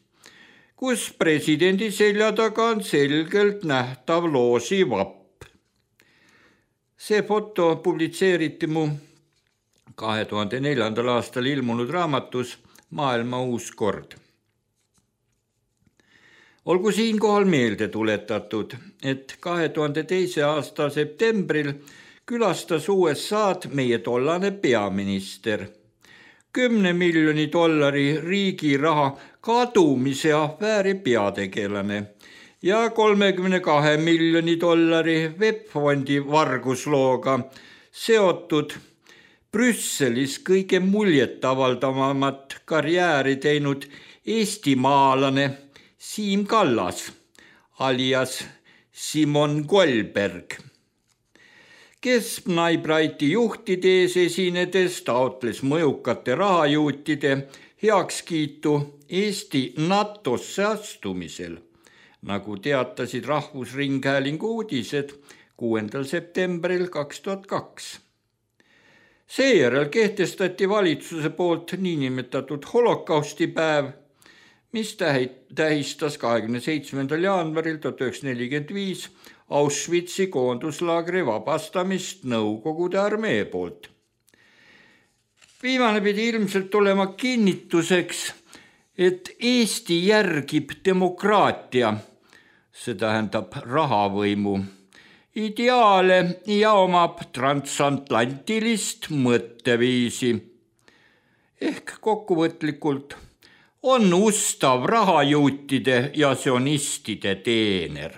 kus presidendi selja taga on selgelt nähtav loosi vapp. See foto publitseeriti mu kahe tuhande neljandal aastal ilmunud raamatus Maailma uus kord. Olgu siinkohal meelde tuletatud, et kahe tuhande teise aasta septembril külastas U S A-d meie tollane peaminister. Kümne miljoni dollari riigi raha kadumise afääri peategelane ja kolmekümne kahe miljoni dollari webfondi varguslooga seotud Brüsselis kõige muljetavaldavamat karjääri teinud eestimaalane Siim Kallas alias Simon Goldberg, kes nai-briti juhtide ees esinedes taotles mõjukate rahajuutide heakskiitu Eesti NATOsse astumisel, nagu teatasid Rahvusringhäälingu uudised kuuendal septembril kaks tuhat kaks. Seejärel kehtestati valitsuse poolt niinimetatud holokaustipäev, mis tähistas kahekümne seitsmendal jaanuaril tuhat üheksasada nelikümmend viis Auschwitzi koonduslaagri vabastamist Nõukogude armee poolt. Viimane pidi ilmselt olema kinnituseks, et Eesti järgib demokraatia, see tähendab rahavõimu, ideaale ja omab transatlantilist mõtteviisi. Ehk kokkuvõtlikult on ustav rahajuutide ja sionistide teener.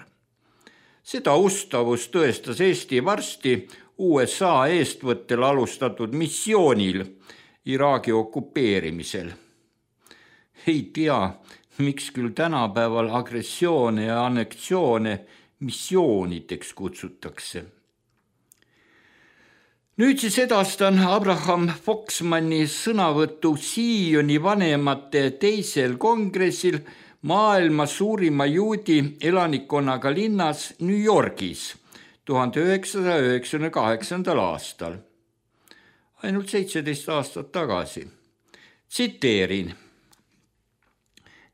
Seda ustavust tõestas Eesti varsti U S A eestvõttel alustatud missioonil Iraagi okupeerimisel. Ei tea, miks küll tänapäeval agressioone ja anneksioone missioonideks kutsutakse. Nüüd siis edastan Abraham Foxmanni sõnavõttu Sioni vanemate teisel kongressil maailma suurima juudi elanikkonnaga linnas New Yorgis tuhande üheksasaja üheksakümne kaheksandal aastal, ainult seitseteist aastat tagasi. Tsiteerin.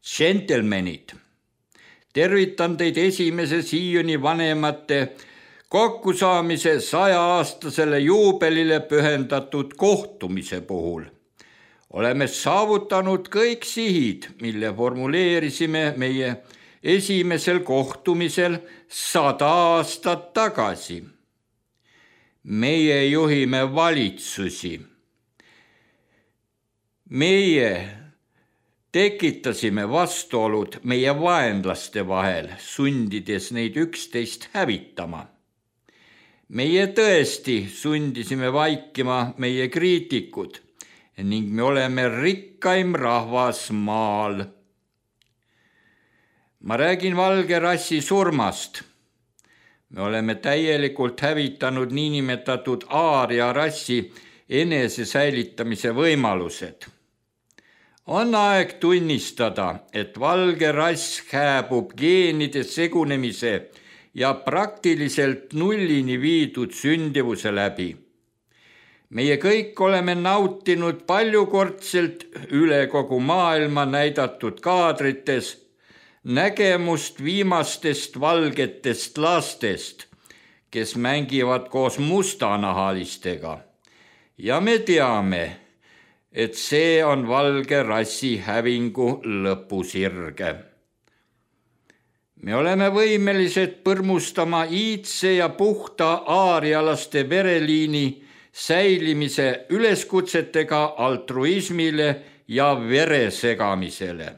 Gentlemenid, tervitan teid esimese Sioni vanemate kokkusaamise sajaaastasele juubelile pühendatud kohtumise puhul. Oleme saavutanud kõik sihid, mille formuleerisime meie esimesel kohtumisel sada aastat tagasi. Meie juhime valitsusi. Meie tekitasime vastuolud meie vaenlaste vahel, sundides neid üksteist hävitama. Meie tõesti sundisime vaikima meie kriitikud ning me oleme rikkaim rahvas maal. Ma räägin valge rassi surmast. Me oleme täielikult hävitanud niinimetatud aaria rassi enese säilitamise võimalused. On aeg tunnistada, et valge rass hääbub geenide segunemise ja praktiliselt nullini viidud sündivuse läbi. Meie kõik oleme nautinud paljukordselt üle kogu maailma näidatud kaadrites nägemust viimastest valgetest lastest, kes mängivad koos mustanahalistega. Ja me teame, et see on valge rassi hävingu lõpusirge. Me oleme võimelised põrmustama iidse ja puhta aarialaste vereliini säilimise üleskutsetega altruismile ja veresegamisele.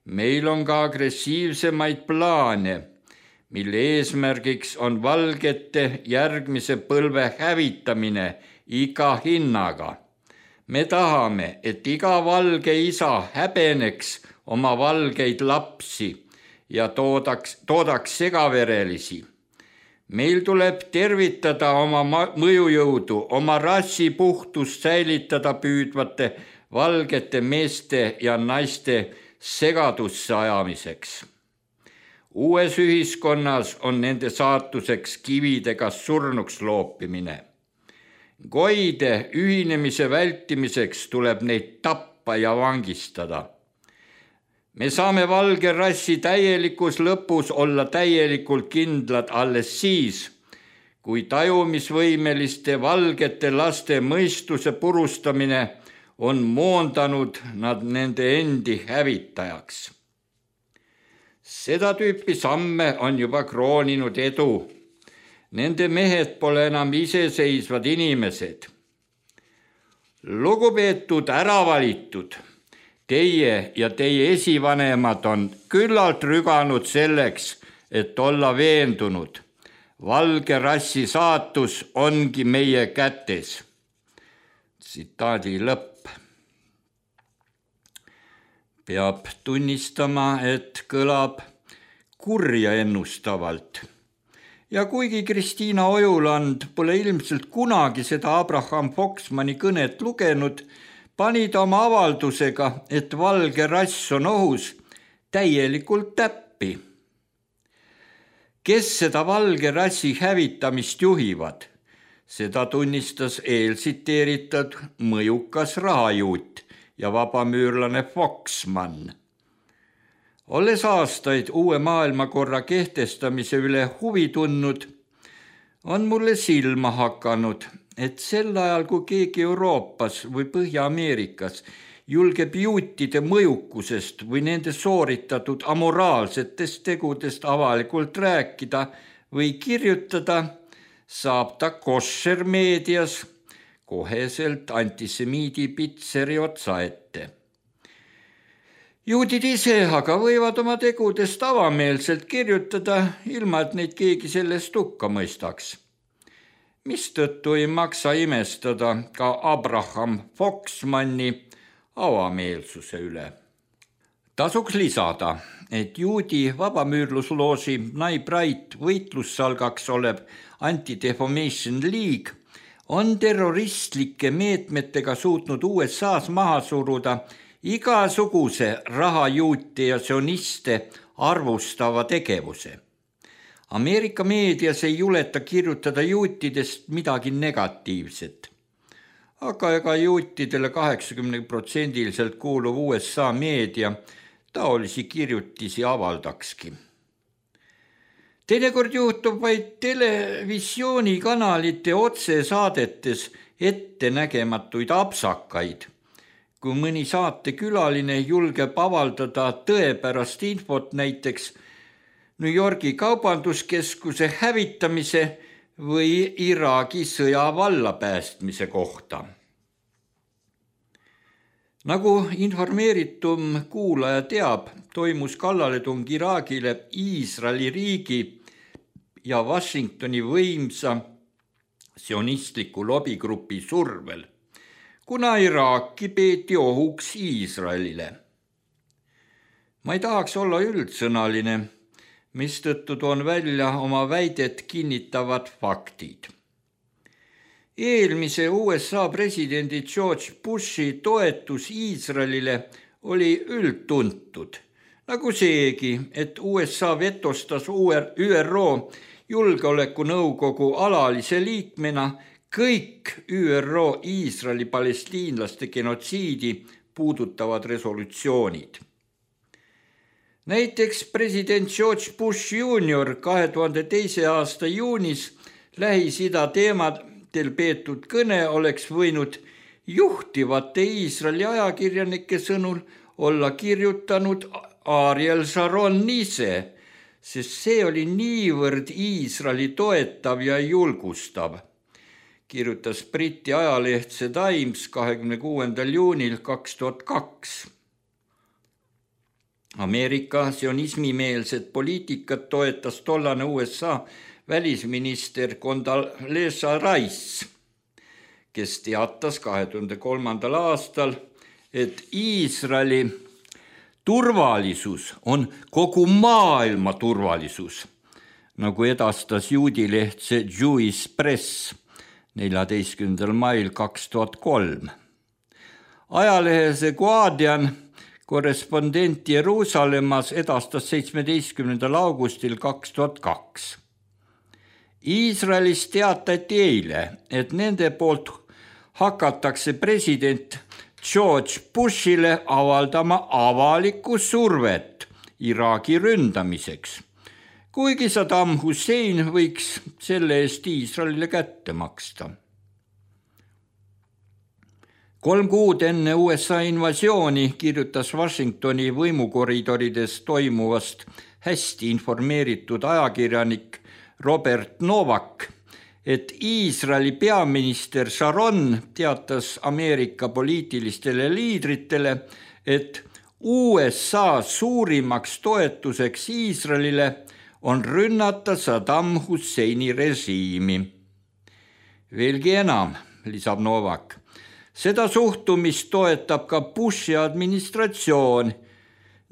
Meil on ka agressiivsemaid plaane, mille eesmärgiks on valgete järgmise põlve hävitamine iga hinnaga. Me tahame, et iga valge isa häbeneks oma valgeid lapsi ja toodaks, toodaks segaverelisi. Meil tuleb tervitada oma mõjujõudu, oma rassi puhtust säilitada püüdvate valgete meeste ja naiste segadusse ajamiseks. Uues ühiskonnas on nende saatuseks kividega surnuks loopimine. Goide ühinemise vältimiseks tuleb neid tappa ja vangistada. Me saame valge rassi täielikus lõpus olla täielikult kindlad alles siis, kui tajumisvõimeliste valgete laste mõistuse purustamine on moondanud nad nende endi hävitajaks. Seda tüüpi samme on juba krooninud edu. Nende mehed pole enam iseseisvad inimesed. Lugupeetud äravalitud, teie ja teie esivanemad on küllalt rüganud selleks, et olla veendunud. Valge rassi saatus ongi meie kätes. Tsitaadi lõpp. Peab tunnistama, et kõlab kurja ennustavalt. Ja kuigi Kristiina Ojuland pole ilmselt kunagi seda Abraham Foxmani kõnet lugenud, pani ta oma avaldusega, et valge rass on ohus, täielikult täppi. Kes seda valge rassi hävitamist juhivad? Seda tunnistas eelsiteeritud mõjukas rahajuut ja vabamüürlane Foxman. Olles aastaid uue maailmakorra kehtestamise üle huvi tundnud, on mulle silma hakanud, et sel ajal, kui keegi Euroopas või Põhja-Ameerikas julgeb juutide mõjukusest või nende sooritatud amoraalsetest tegudest avalikult rääkida või kirjutada, saab ta koššermeedias koheselt antisemiidi pitseri otsa ette. Juudid ise aga võivad oma tegudest avameelselt kirjutada, ilma et neid keegi sellest hukka mõistaks. Mistõttu ei maksa imestada ka Abraham Foxmani avameelsuse üle. Tasuks lisada, et juudi vabamüürlusloosi Nye Bright võitlussalgaks olev Anti-Defamation League on terroristlike meetmetega suutnud U S A-s maha suruda igasuguse rahajuute ja sioniste arvustava tegevuse. Ameerika meedias ei juleta kirjutada juutidest midagi negatiivset. Aga ega juutidele kaheksakümne protsendiliselt kuuluv U S A meedia taolisi kirjutisi avaldakski. Teinekord juhtub vaid televisioonikanalite otsesaadetes ettenägematuid apsakaid, kui mõni saatekülaline julgeb avaldada tõepärast infot näiteks New Yorgi kaubanduskeskuse hävitamise või Iraagi sõja vallapäästmise kohta. Nagu informeeritum kuulaja teab, toimus kallaletung Iraagile Iisraeli riigi ja Washingtoni võimsa sionistliku lobigrupi survel, kuna Iraaki peeti ohuks Iisraelile. Ma ei tahaks olla üldsõnaline, mistõttu toon välja oma väidet kinnitavad faktid. Eelmise U S A presidendi George Bushi toetus Iisraelile oli üldtuntud, nagu seegi, et U S A vetostas Ü R O julgeolekunõukogu alalise liikmena kõik Ü R O Iisraeli palestiinlaste genotsiidi puudutavad resolutsioonid. Näiteks president George Bush junior kahe tuhande teise aasta juunis Lähis-Ida teemadel peetud kõne oleks võinud juhtivate Iisraeli ajakirjanike sõnul olla kirjutanud Ariel Sharon ise, sest see oli niivõrd Iisraeli toetav ja julgustav, kirjutas Briti ajaleht The Times kahekümne kuuendal juunil kaks tuhat kaks. Ameerika sionismimeelset poliitikat toetas tollane U S A välisminister Condoleezza Rice, kes teatas kahe tuhande kolmandal aastal, et Iisraeli turvalisus on kogu maailma turvalisus, nagu edastas juudileht Jewish Press neljateistkümnendal mail kaks tuhat kolm. Ajalehe The Guardian korrespondent Jeruusalemmas edastas seitsmeteistkümnendal augustil kaks tuhat kaks. Iisraelis teatati eile, et nende poolt hakatakse president George Bushile avaldama avalikku survet Iraagi ründamiseks, kuigi Saddam Hussein võiks selle eest Iisraelile kätte maksta. Kolm kuud enne U S A invasiooni kirjutas Washingtoni võimukoridorides toimuvast hästi informeeritud ajakirjanik Robert Novak, et Iisraeli peaminister Sharon teatas Ameerika poliitilistele liidritele, et U S A suurimaks toetuseks Iisraelile on rünnata Saddam Husseini režiimi. Veelgi enam, lisab Novak, seda suhtumist toetab ka Bushi administratsioon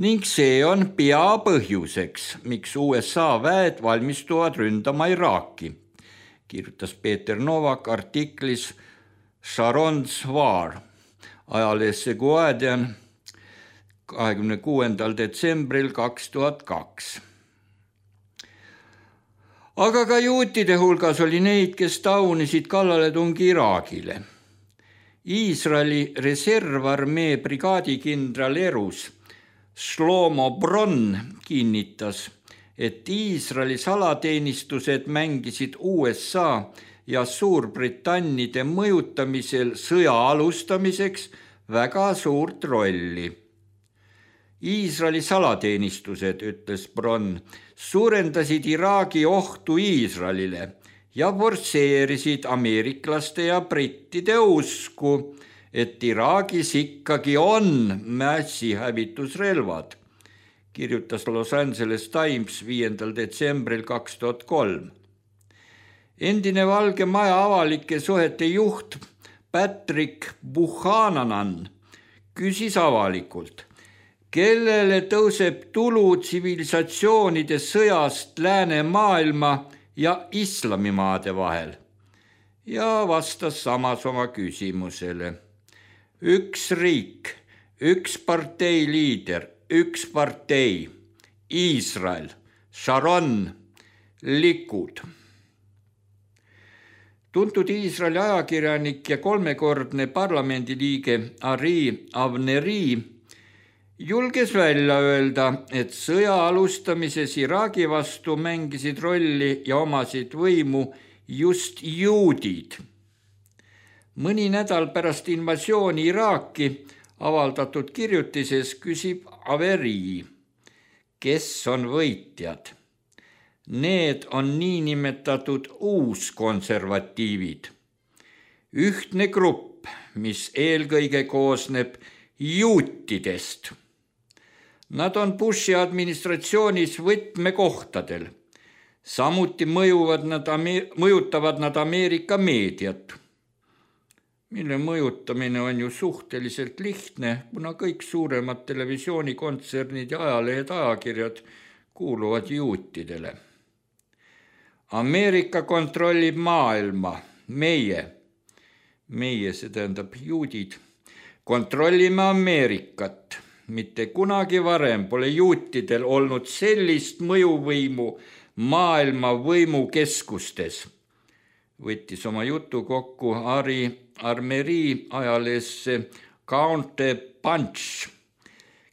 ning see on peapõhjuseks, miks U S A väed valmistuvad ründama Iraaki, kirjutas Peeter Novak artiklis Sharon's War ajalehes The Guardian kahekümne kuuendal detsembril kaks tuhat kaks. Aga ka juutide hulgas oli neid, kes taunisid kallaletungi Iraagile. Iisraeli reservarmee brigaadikindral Erus Shlomo Bron kinnitas, et Iisraeli salateenistused mängisid U S A ja Suurbritannide mõjutamisel sõja alustamiseks väga suurt rolli. Iisraeli salateenistused, ütles Bron, suurendasid Iraagi ohtu Iisraelile ja forsseerisid ameeriklaste ja brittide usku, et Iraagis ikkagi on massihävitusrelvad, kirjutas Los Angeles Times viiendal detsembril kaks tuhat kolm. Endine Valge Maja avalike suhete juht Patrick Buchanan küsis avalikult, kellele tõuseb tulu tsivilisatsioonide sõjast läänemaailma ja islamimaade vahel, ja vastas samas oma küsimusele. Üks riik, üks partei liider, üks partei, Iisrael, Sharon, Likud. Tuntud Iisraeli ajakirjanik ja kolmekordne parlamendiliige Ari Avneri julges välja öelda, et sõja alustamises Iraagi vastu mängisid rolli ja omasid võimu just juudid. Mõni nädal pärast invasiooni Iraaki avaldatud kirjutises küsib Averi, kes on võitjad. Need on niinimetatud uuskonservatiivid. Ühtne grupp, mis eelkõige koosneb juutidest. Nad on Bushi administratsioonis võtmekohtadel. Samuti mõjuvad nad, mõjutavad nad Ameerika meediat, mille mõjutamine on ju suhteliselt lihtne, kuna kõik suuremad televisioonikontsernid ja ajalehed, ajakirjad kuuluvad juutidele. Ameerika kontrollib maailma, meie, meie, see tähendab juudid, kontrollime Ameerikat. Mitte kunagi varem pole juutidel olnud sellist mõjuvõimu maailma võimukeskustes. Võttis oma jutu kokku Ari Armeri ajaleesse Counter Punch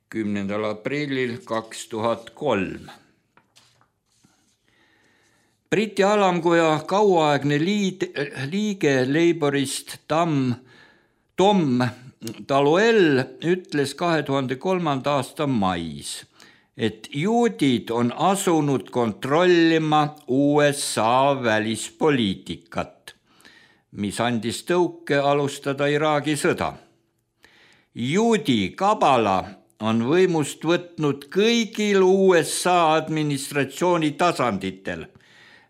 kümnendal aprillil kaks tuhat kolm. Briti alamkoja kauaaegne liid, liige Labourist Tom, Tom Taloel ütles kahe tuhande kolmanda aasta mais, et juudid on asunud kontrollima U S A välispoliitikat, mis andis tõuke alustada Iraagi sõda. Juudi kabala on võimust võtnud kõigil U S A administratsiooni tasanditel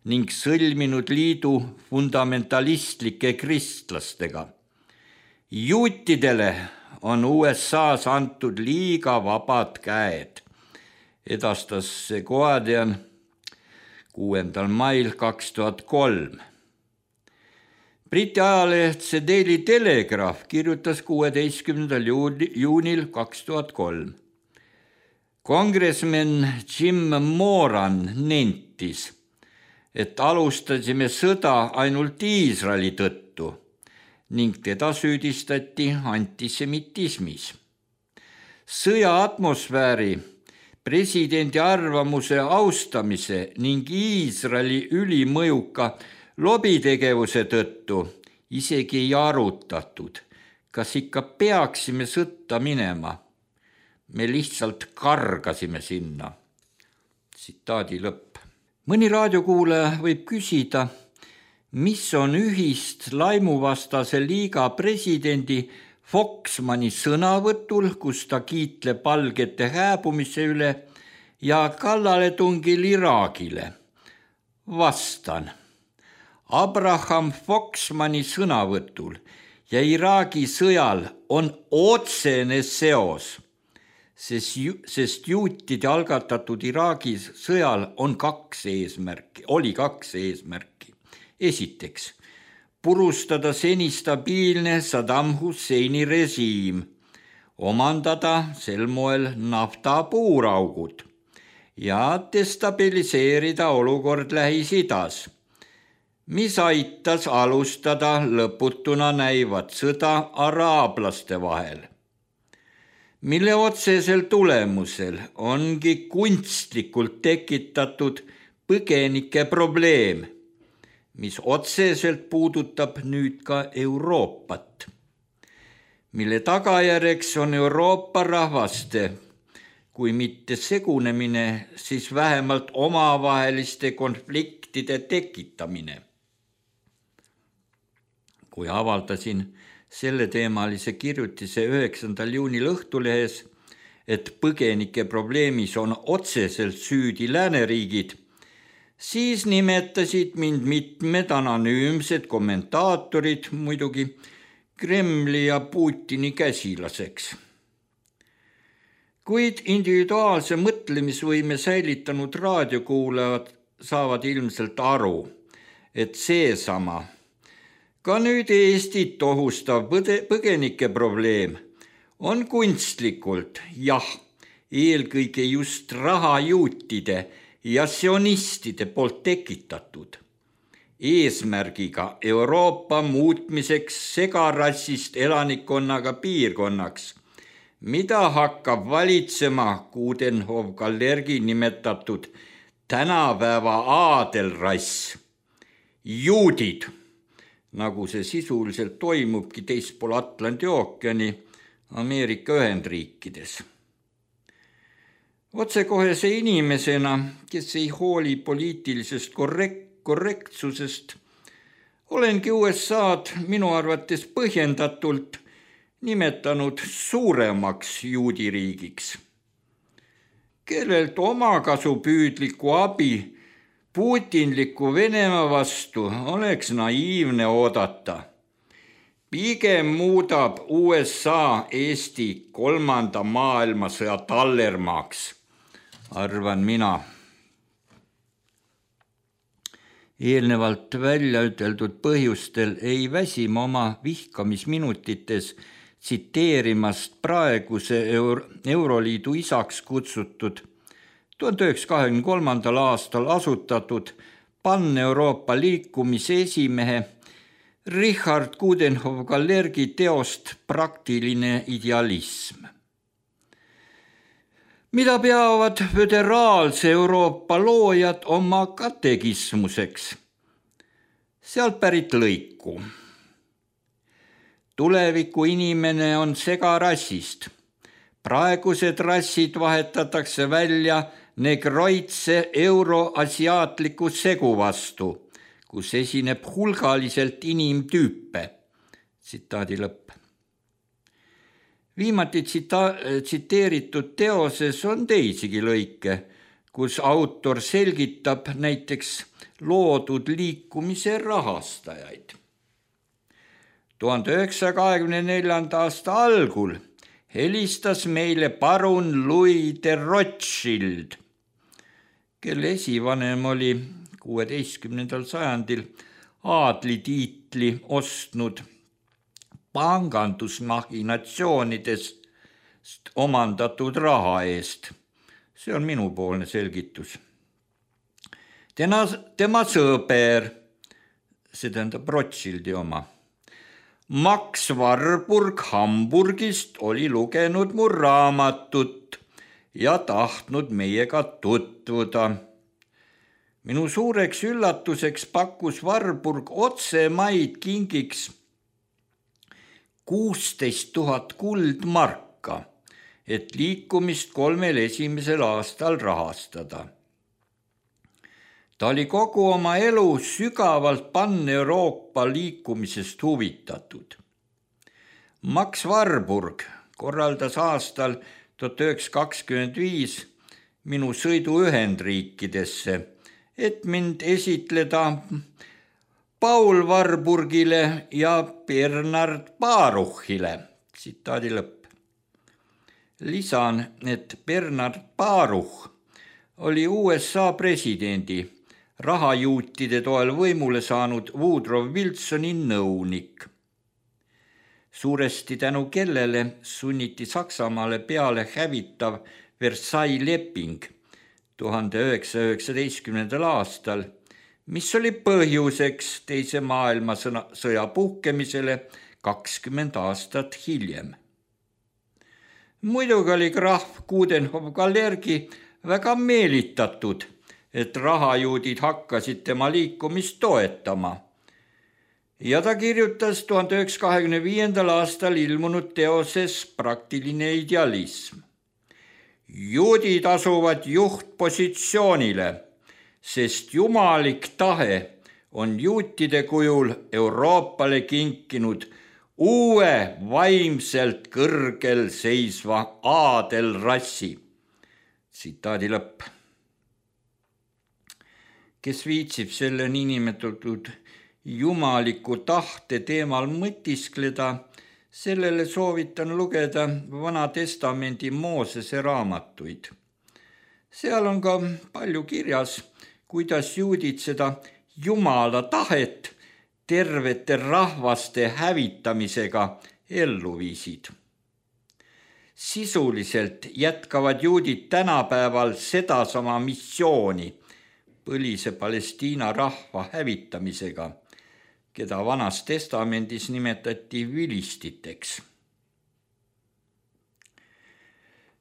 ning sõlminud liidu fundamentalistlike kristlastega. Juutidele on U S A-s antud liiga vabad käed, edastas see Guardian kuuendal mail kaks tuhat kolm. Briti ajaleht The Daily Telegraph kirjutas kuueteistkümnendal juunil kaks tuhat kolm. Congressman Jim Moran nentis, et alustasime sõda ainult Iisraeli tõttu ning teda süüdistati antisemitismis. Sõja atmosfääri, presidendi arvamuse austamise ning Iisraeli ülimõjuka lobitegevuse tõttu isegi ei arutatud, kas ikka peaksime sõtta minema. Me lihtsalt kargasime sinna. Tsitaadi lõpp. Mõni raadiokuulaja võib küsida, mis on ühist laimuvastase liiga presidendi Foxmani sõnavõtul, kus ta kiitleb valgete hääbumise üle ja kallaletungil Iraagile. Vastan. Abraham Foxmani sõnavõtul ja Iraagi sõjal on otsene seos, sest juutide algatatud Iraagi sõjal on kaks eesmärki, oli kaks eesmärki. Esiteks, purustada seni stabiilne Saddam Husseini režiim, omandada sel moel nafta puuraugud ja destabiliseerida olukord Lähis-Idas, mis aitas alustada lõputuna näivat sõda araablaste vahel, mille otsesel tulemusel ongi kunstlikult tekitatud põgenike probleem, mis otseselt puudutab nüüd ka Euroopat, mille tagajärjeks on Euroopa rahvaste, kui mitte segunemine, siis vähemalt omavaheliste konfliktide tekitamine. Kui avaldasin selleteemalise kirjutise üheksandal juunil Õhtulehes, et põgenike probleemis on otseselt süüdi lääneriigid, siis nimetasid mind mitmed anonüümsed kommentaatorid muidugi Kremli ja Putini käsilaseks. Kuid individuaalse mõtlemisvõime säilitanud raadiokuulajad saavad ilmselt aru, et seesama, ka nüüd Eestit ohustav põgenike probleem on kunstlikult, jah, eelkõige just rahajuutide ja sionistide poolt tekitatud, eesmärgiga Euroopa muutmiseks segarassist elanikkonnaga piirkonnaks, mida hakkab valitsema Coudenhove-Gallergi nimetatud tänapäeva aadelrass, juudid, nagu see sisuliselt toimubki teispool Atlandi ookeani Ameerika Ühendriikides. Otsekohese inimesena, kes ei hooli poliitilisest korrekt- korrektsusest, olengi U S A-d minu arvates põhjendatult nimetanud suuremaks juudiriigiks, kellelt omakasupüüdliku abi Putinliku Venemaa vastu oleks naiivne oodata. Pigem muudab U S A Eesti kolmanda maailmasõja tallermaaks, arvan mina. Eelnevalt välja üteldud põhjustel ei väsima oma vihkamisminutites tsiteerimast praeguse Euro- Euroliidu isaks kutsutud tuhande üheksasaja kahekümne kolmandal aastal asutatud Pan-Euroopa liikumise esimehe Richard Coudenhove-Kalergi teost Praktiline idealism, mida peavad föderaalse Euroopa loojad oma katekismuseks. Sealt pärit lõiku. Tuleviku inimene on segarassist. Praegused rassid vahetatakse välja negroitse euroasiaatliku segu vastu, kus esineb hulgaliselt inimtüüpe. Tsitaadi lõpp. Viimati tsita- tsiteeritud teoses on teisigi lõike, kus autor selgitab näiteks loodud liikumise rahastajaid. tuhande üheksasaja kahekümne neljanda aasta algul helistas meile parun Louis de Rothschild, kelle esivanem oli kuueteistkümnendal sajandil aadlitiitli ostnud pangandusmachinatsioonidest omandatud raha eest. See on minupoolne selgitus. Tema, tema sõber, see tähendab Rothschildi oma, Max Warburg Hamburgist oli lugenud mu raamatut ja tahtnud meiega tutvuda. Minu suureks üllatuseks pakkus Warburg otsemaid kingiks kuusteist tuhat kuldmarka, et liikumist kolmel esimesel aastal rahastada. Ta oli kogu oma elu sügavalt Pan-Euroopa liikumisest huvitatud. Max Warburg korraldas aastal tuhat üheksasada kakskümmend viis minu sõidu Ühendriikidesse, et mind esitleda Paul Warburgile ja Bernard Baruchile. Tsitaadi lõpp. Lisan, et Bernard Baruch oli U S A presidendi rahajuutide toel võimule saanud Woodrow Wilsoni nõunik. Suuresti tänu kellele sunniti Saksamaale peale hävitav Versailles leping tuhande üheksasaja üheksateistkümnendal aastal, mis oli põhjuseks teise maailmasõja puhkemisele kakskümmend aastat hiljem. Muidugi oli krahv Coudenhove-Kalergi väga meelitatud, et rahajuudid hakkasid tema liikumist toetama. Ja ta kirjutas tuhande üheksasaja kahekümne viiendal aastal ilmunud teoses Praktiline idealism. Juudid asuvad juhtpositsioonile, sest jumalik tahe on juutide kujul Euroopale kinkinud uue vaimselt kõrgel seisva aadelrassi. Tsitaadi lõpp. Kes viitsib selle niinimetatud jumaliku tahte teemal mõtiskleda, sellele soovitan lugeda Vana Testamendi Moosese raamatuid. Seal on ka palju kirjas, kuidas juudid seda Jumala tahet tervete rahvaste hävitamisega ellu viisid. Sisuliselt jätkavad juudid tänapäeval sedasama missiooni põlise Palestiina rahva hävitamisega, keda Vanas Testamendis nimetati vilistiteks.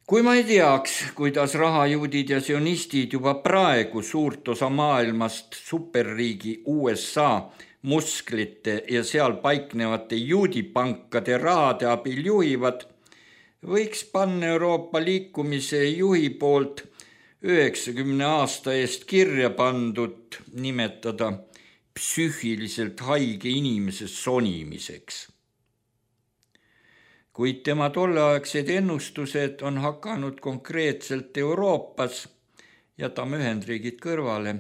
Kui ma ei teaks, kuidas rahajuudid ja sionistid juba praegu suurt osa maailmast superriigi U S A musklite ja seal paiknevate juudipankade rahade abil juhivad, võiks Pan-Euroopa liikumise juhi poolt üheksakümne aasta eest kirja pandud nimetada psüühiliselt haige inimese sonimiseks. Kuid tema tolleaegsed ennustused on hakanud konkreetselt Euroopas, jätame Ühendriigid kõrvale,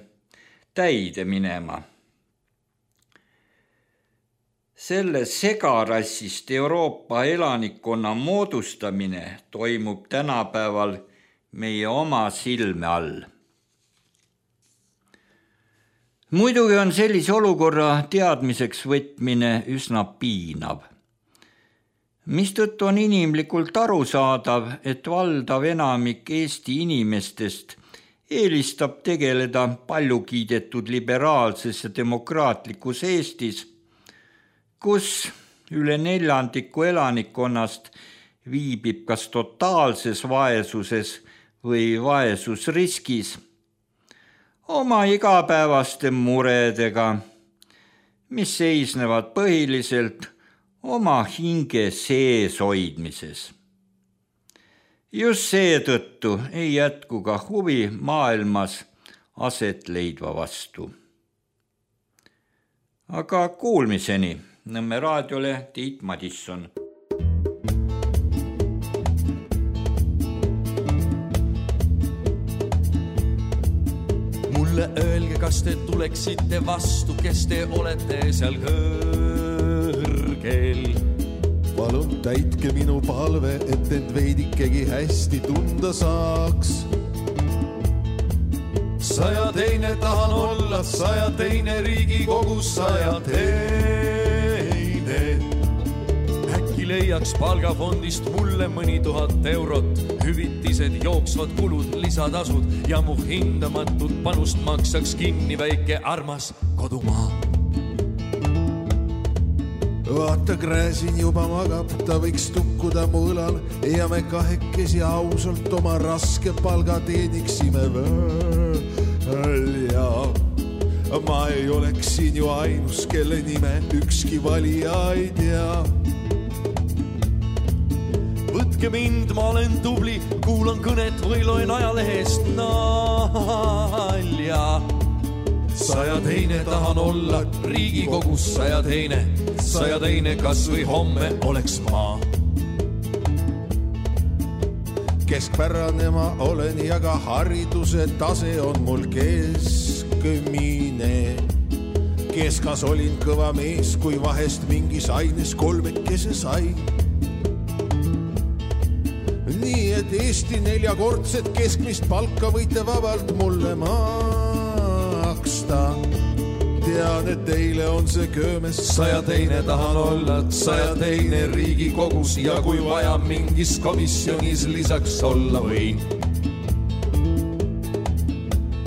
täide minema. Selle segarassist Euroopa elanikkonna moodustamine toimub tänapäeval meie oma silme all. Muidugi on sellise olukorra teadmiseks võtmine üsna piinav, mistõttu on inimlikult arusaadav, et valdav enamik Eesti inimestest eelistab tegeleda palju kiidetud liberaalses ja demokraatlikus Eestis, kus üle neljandiku elanikkonnast viibib kas totaalses vaesuses või vaesusriskis oma igapäevaste muredega, mis seisnevad põhiliselt oma hinge sees hoidmises. Just seetõttu ei jätku ka huvi maailmas aset leidva vastu. Aga kuulmiseni. Nõmme raadiole Tiit Madisson. Mulle öelge, kas te tuleksite vastu, kes te olete seal kõrgel. Palun täitke minu palve, et end veidikegi hästi tunda saaks. Saja teine tahan olla, saja teine Riigikogus, saja teine. Äkki leiaks palgafondist mulle mõni tuhat eurot, hüvitised, jooksvad kulud, lisatasud ja mu hindamatut panust maksaks kinni väike armas kodumaa. Vaata, Gräzin juba magab, ta võiks tukkuda mu õlal ja me kahekesi ausalt oma raske palga teeniksime välja. Ma ei oleks siin ju ainus, kelle nime ükski valija ei tea. Võtke mind, ma olen tubli, kuulan kõnet või loen ajalehest nalja. Saja teine tahan olla Riigikogus, saja teine, saja teine kas või homme oleks ma. Keskpärane ma olen ja ka hariduse tase on mul keskmine. Keskas olin kõva mees, kui vahest mingis aines kolmekese sai. Nii et Eesti neljakordset keskmist palka võite vabalt mulle maksta. Tean, et teile on see köömes, saja teine tahan olla, saja teine Riigikogus ja kui vaja mingis komisjonis lisaks olla või.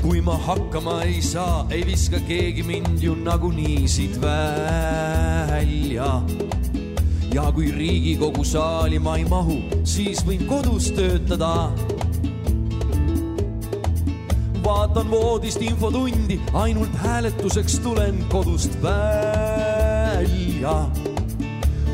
Kui ma hakkama ei saa, ei viska keegi mind ju nagunii siit välja. Ja kui Riigikogu saali ma ei mahu, siis võin kodus töötada. Vaatan voodist infotundi, ainult hääletuseks tulen kodust välja.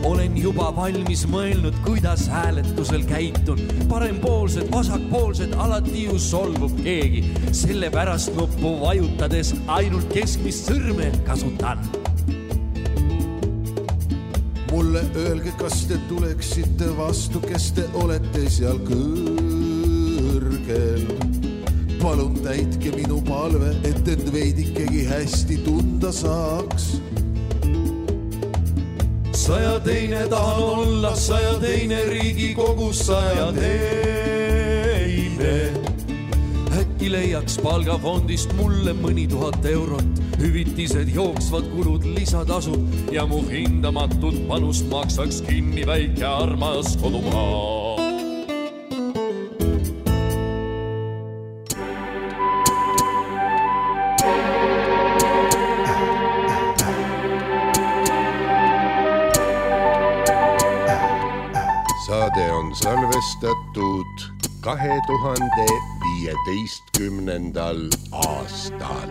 Olen juba valmis mõelnud, kuidas hääletusel käitun. Parempoolsed, vasakpoolsed, alati ju solvub keegi. Selle pärast nuppu vajutades ainult keskmist sõrme kasutan. Mulle öelge, kas te tuleksite vastu, kes te olete seal kõrgel. Palun täitke minu palve, et end veidikegi hästi tunda saaks. Saja teine tahan olla, saja teine Riigikogus, saja teine. Äkki leiaks palgafondist mulle mõni tuhat eurot, hüvitised, jooksvad kulud, lisatasud ja mu hindamatut panust maksaks kinni väike armas kodumaa. Saade on salvestatud kahe tuhande viieteistkümnendal aastal.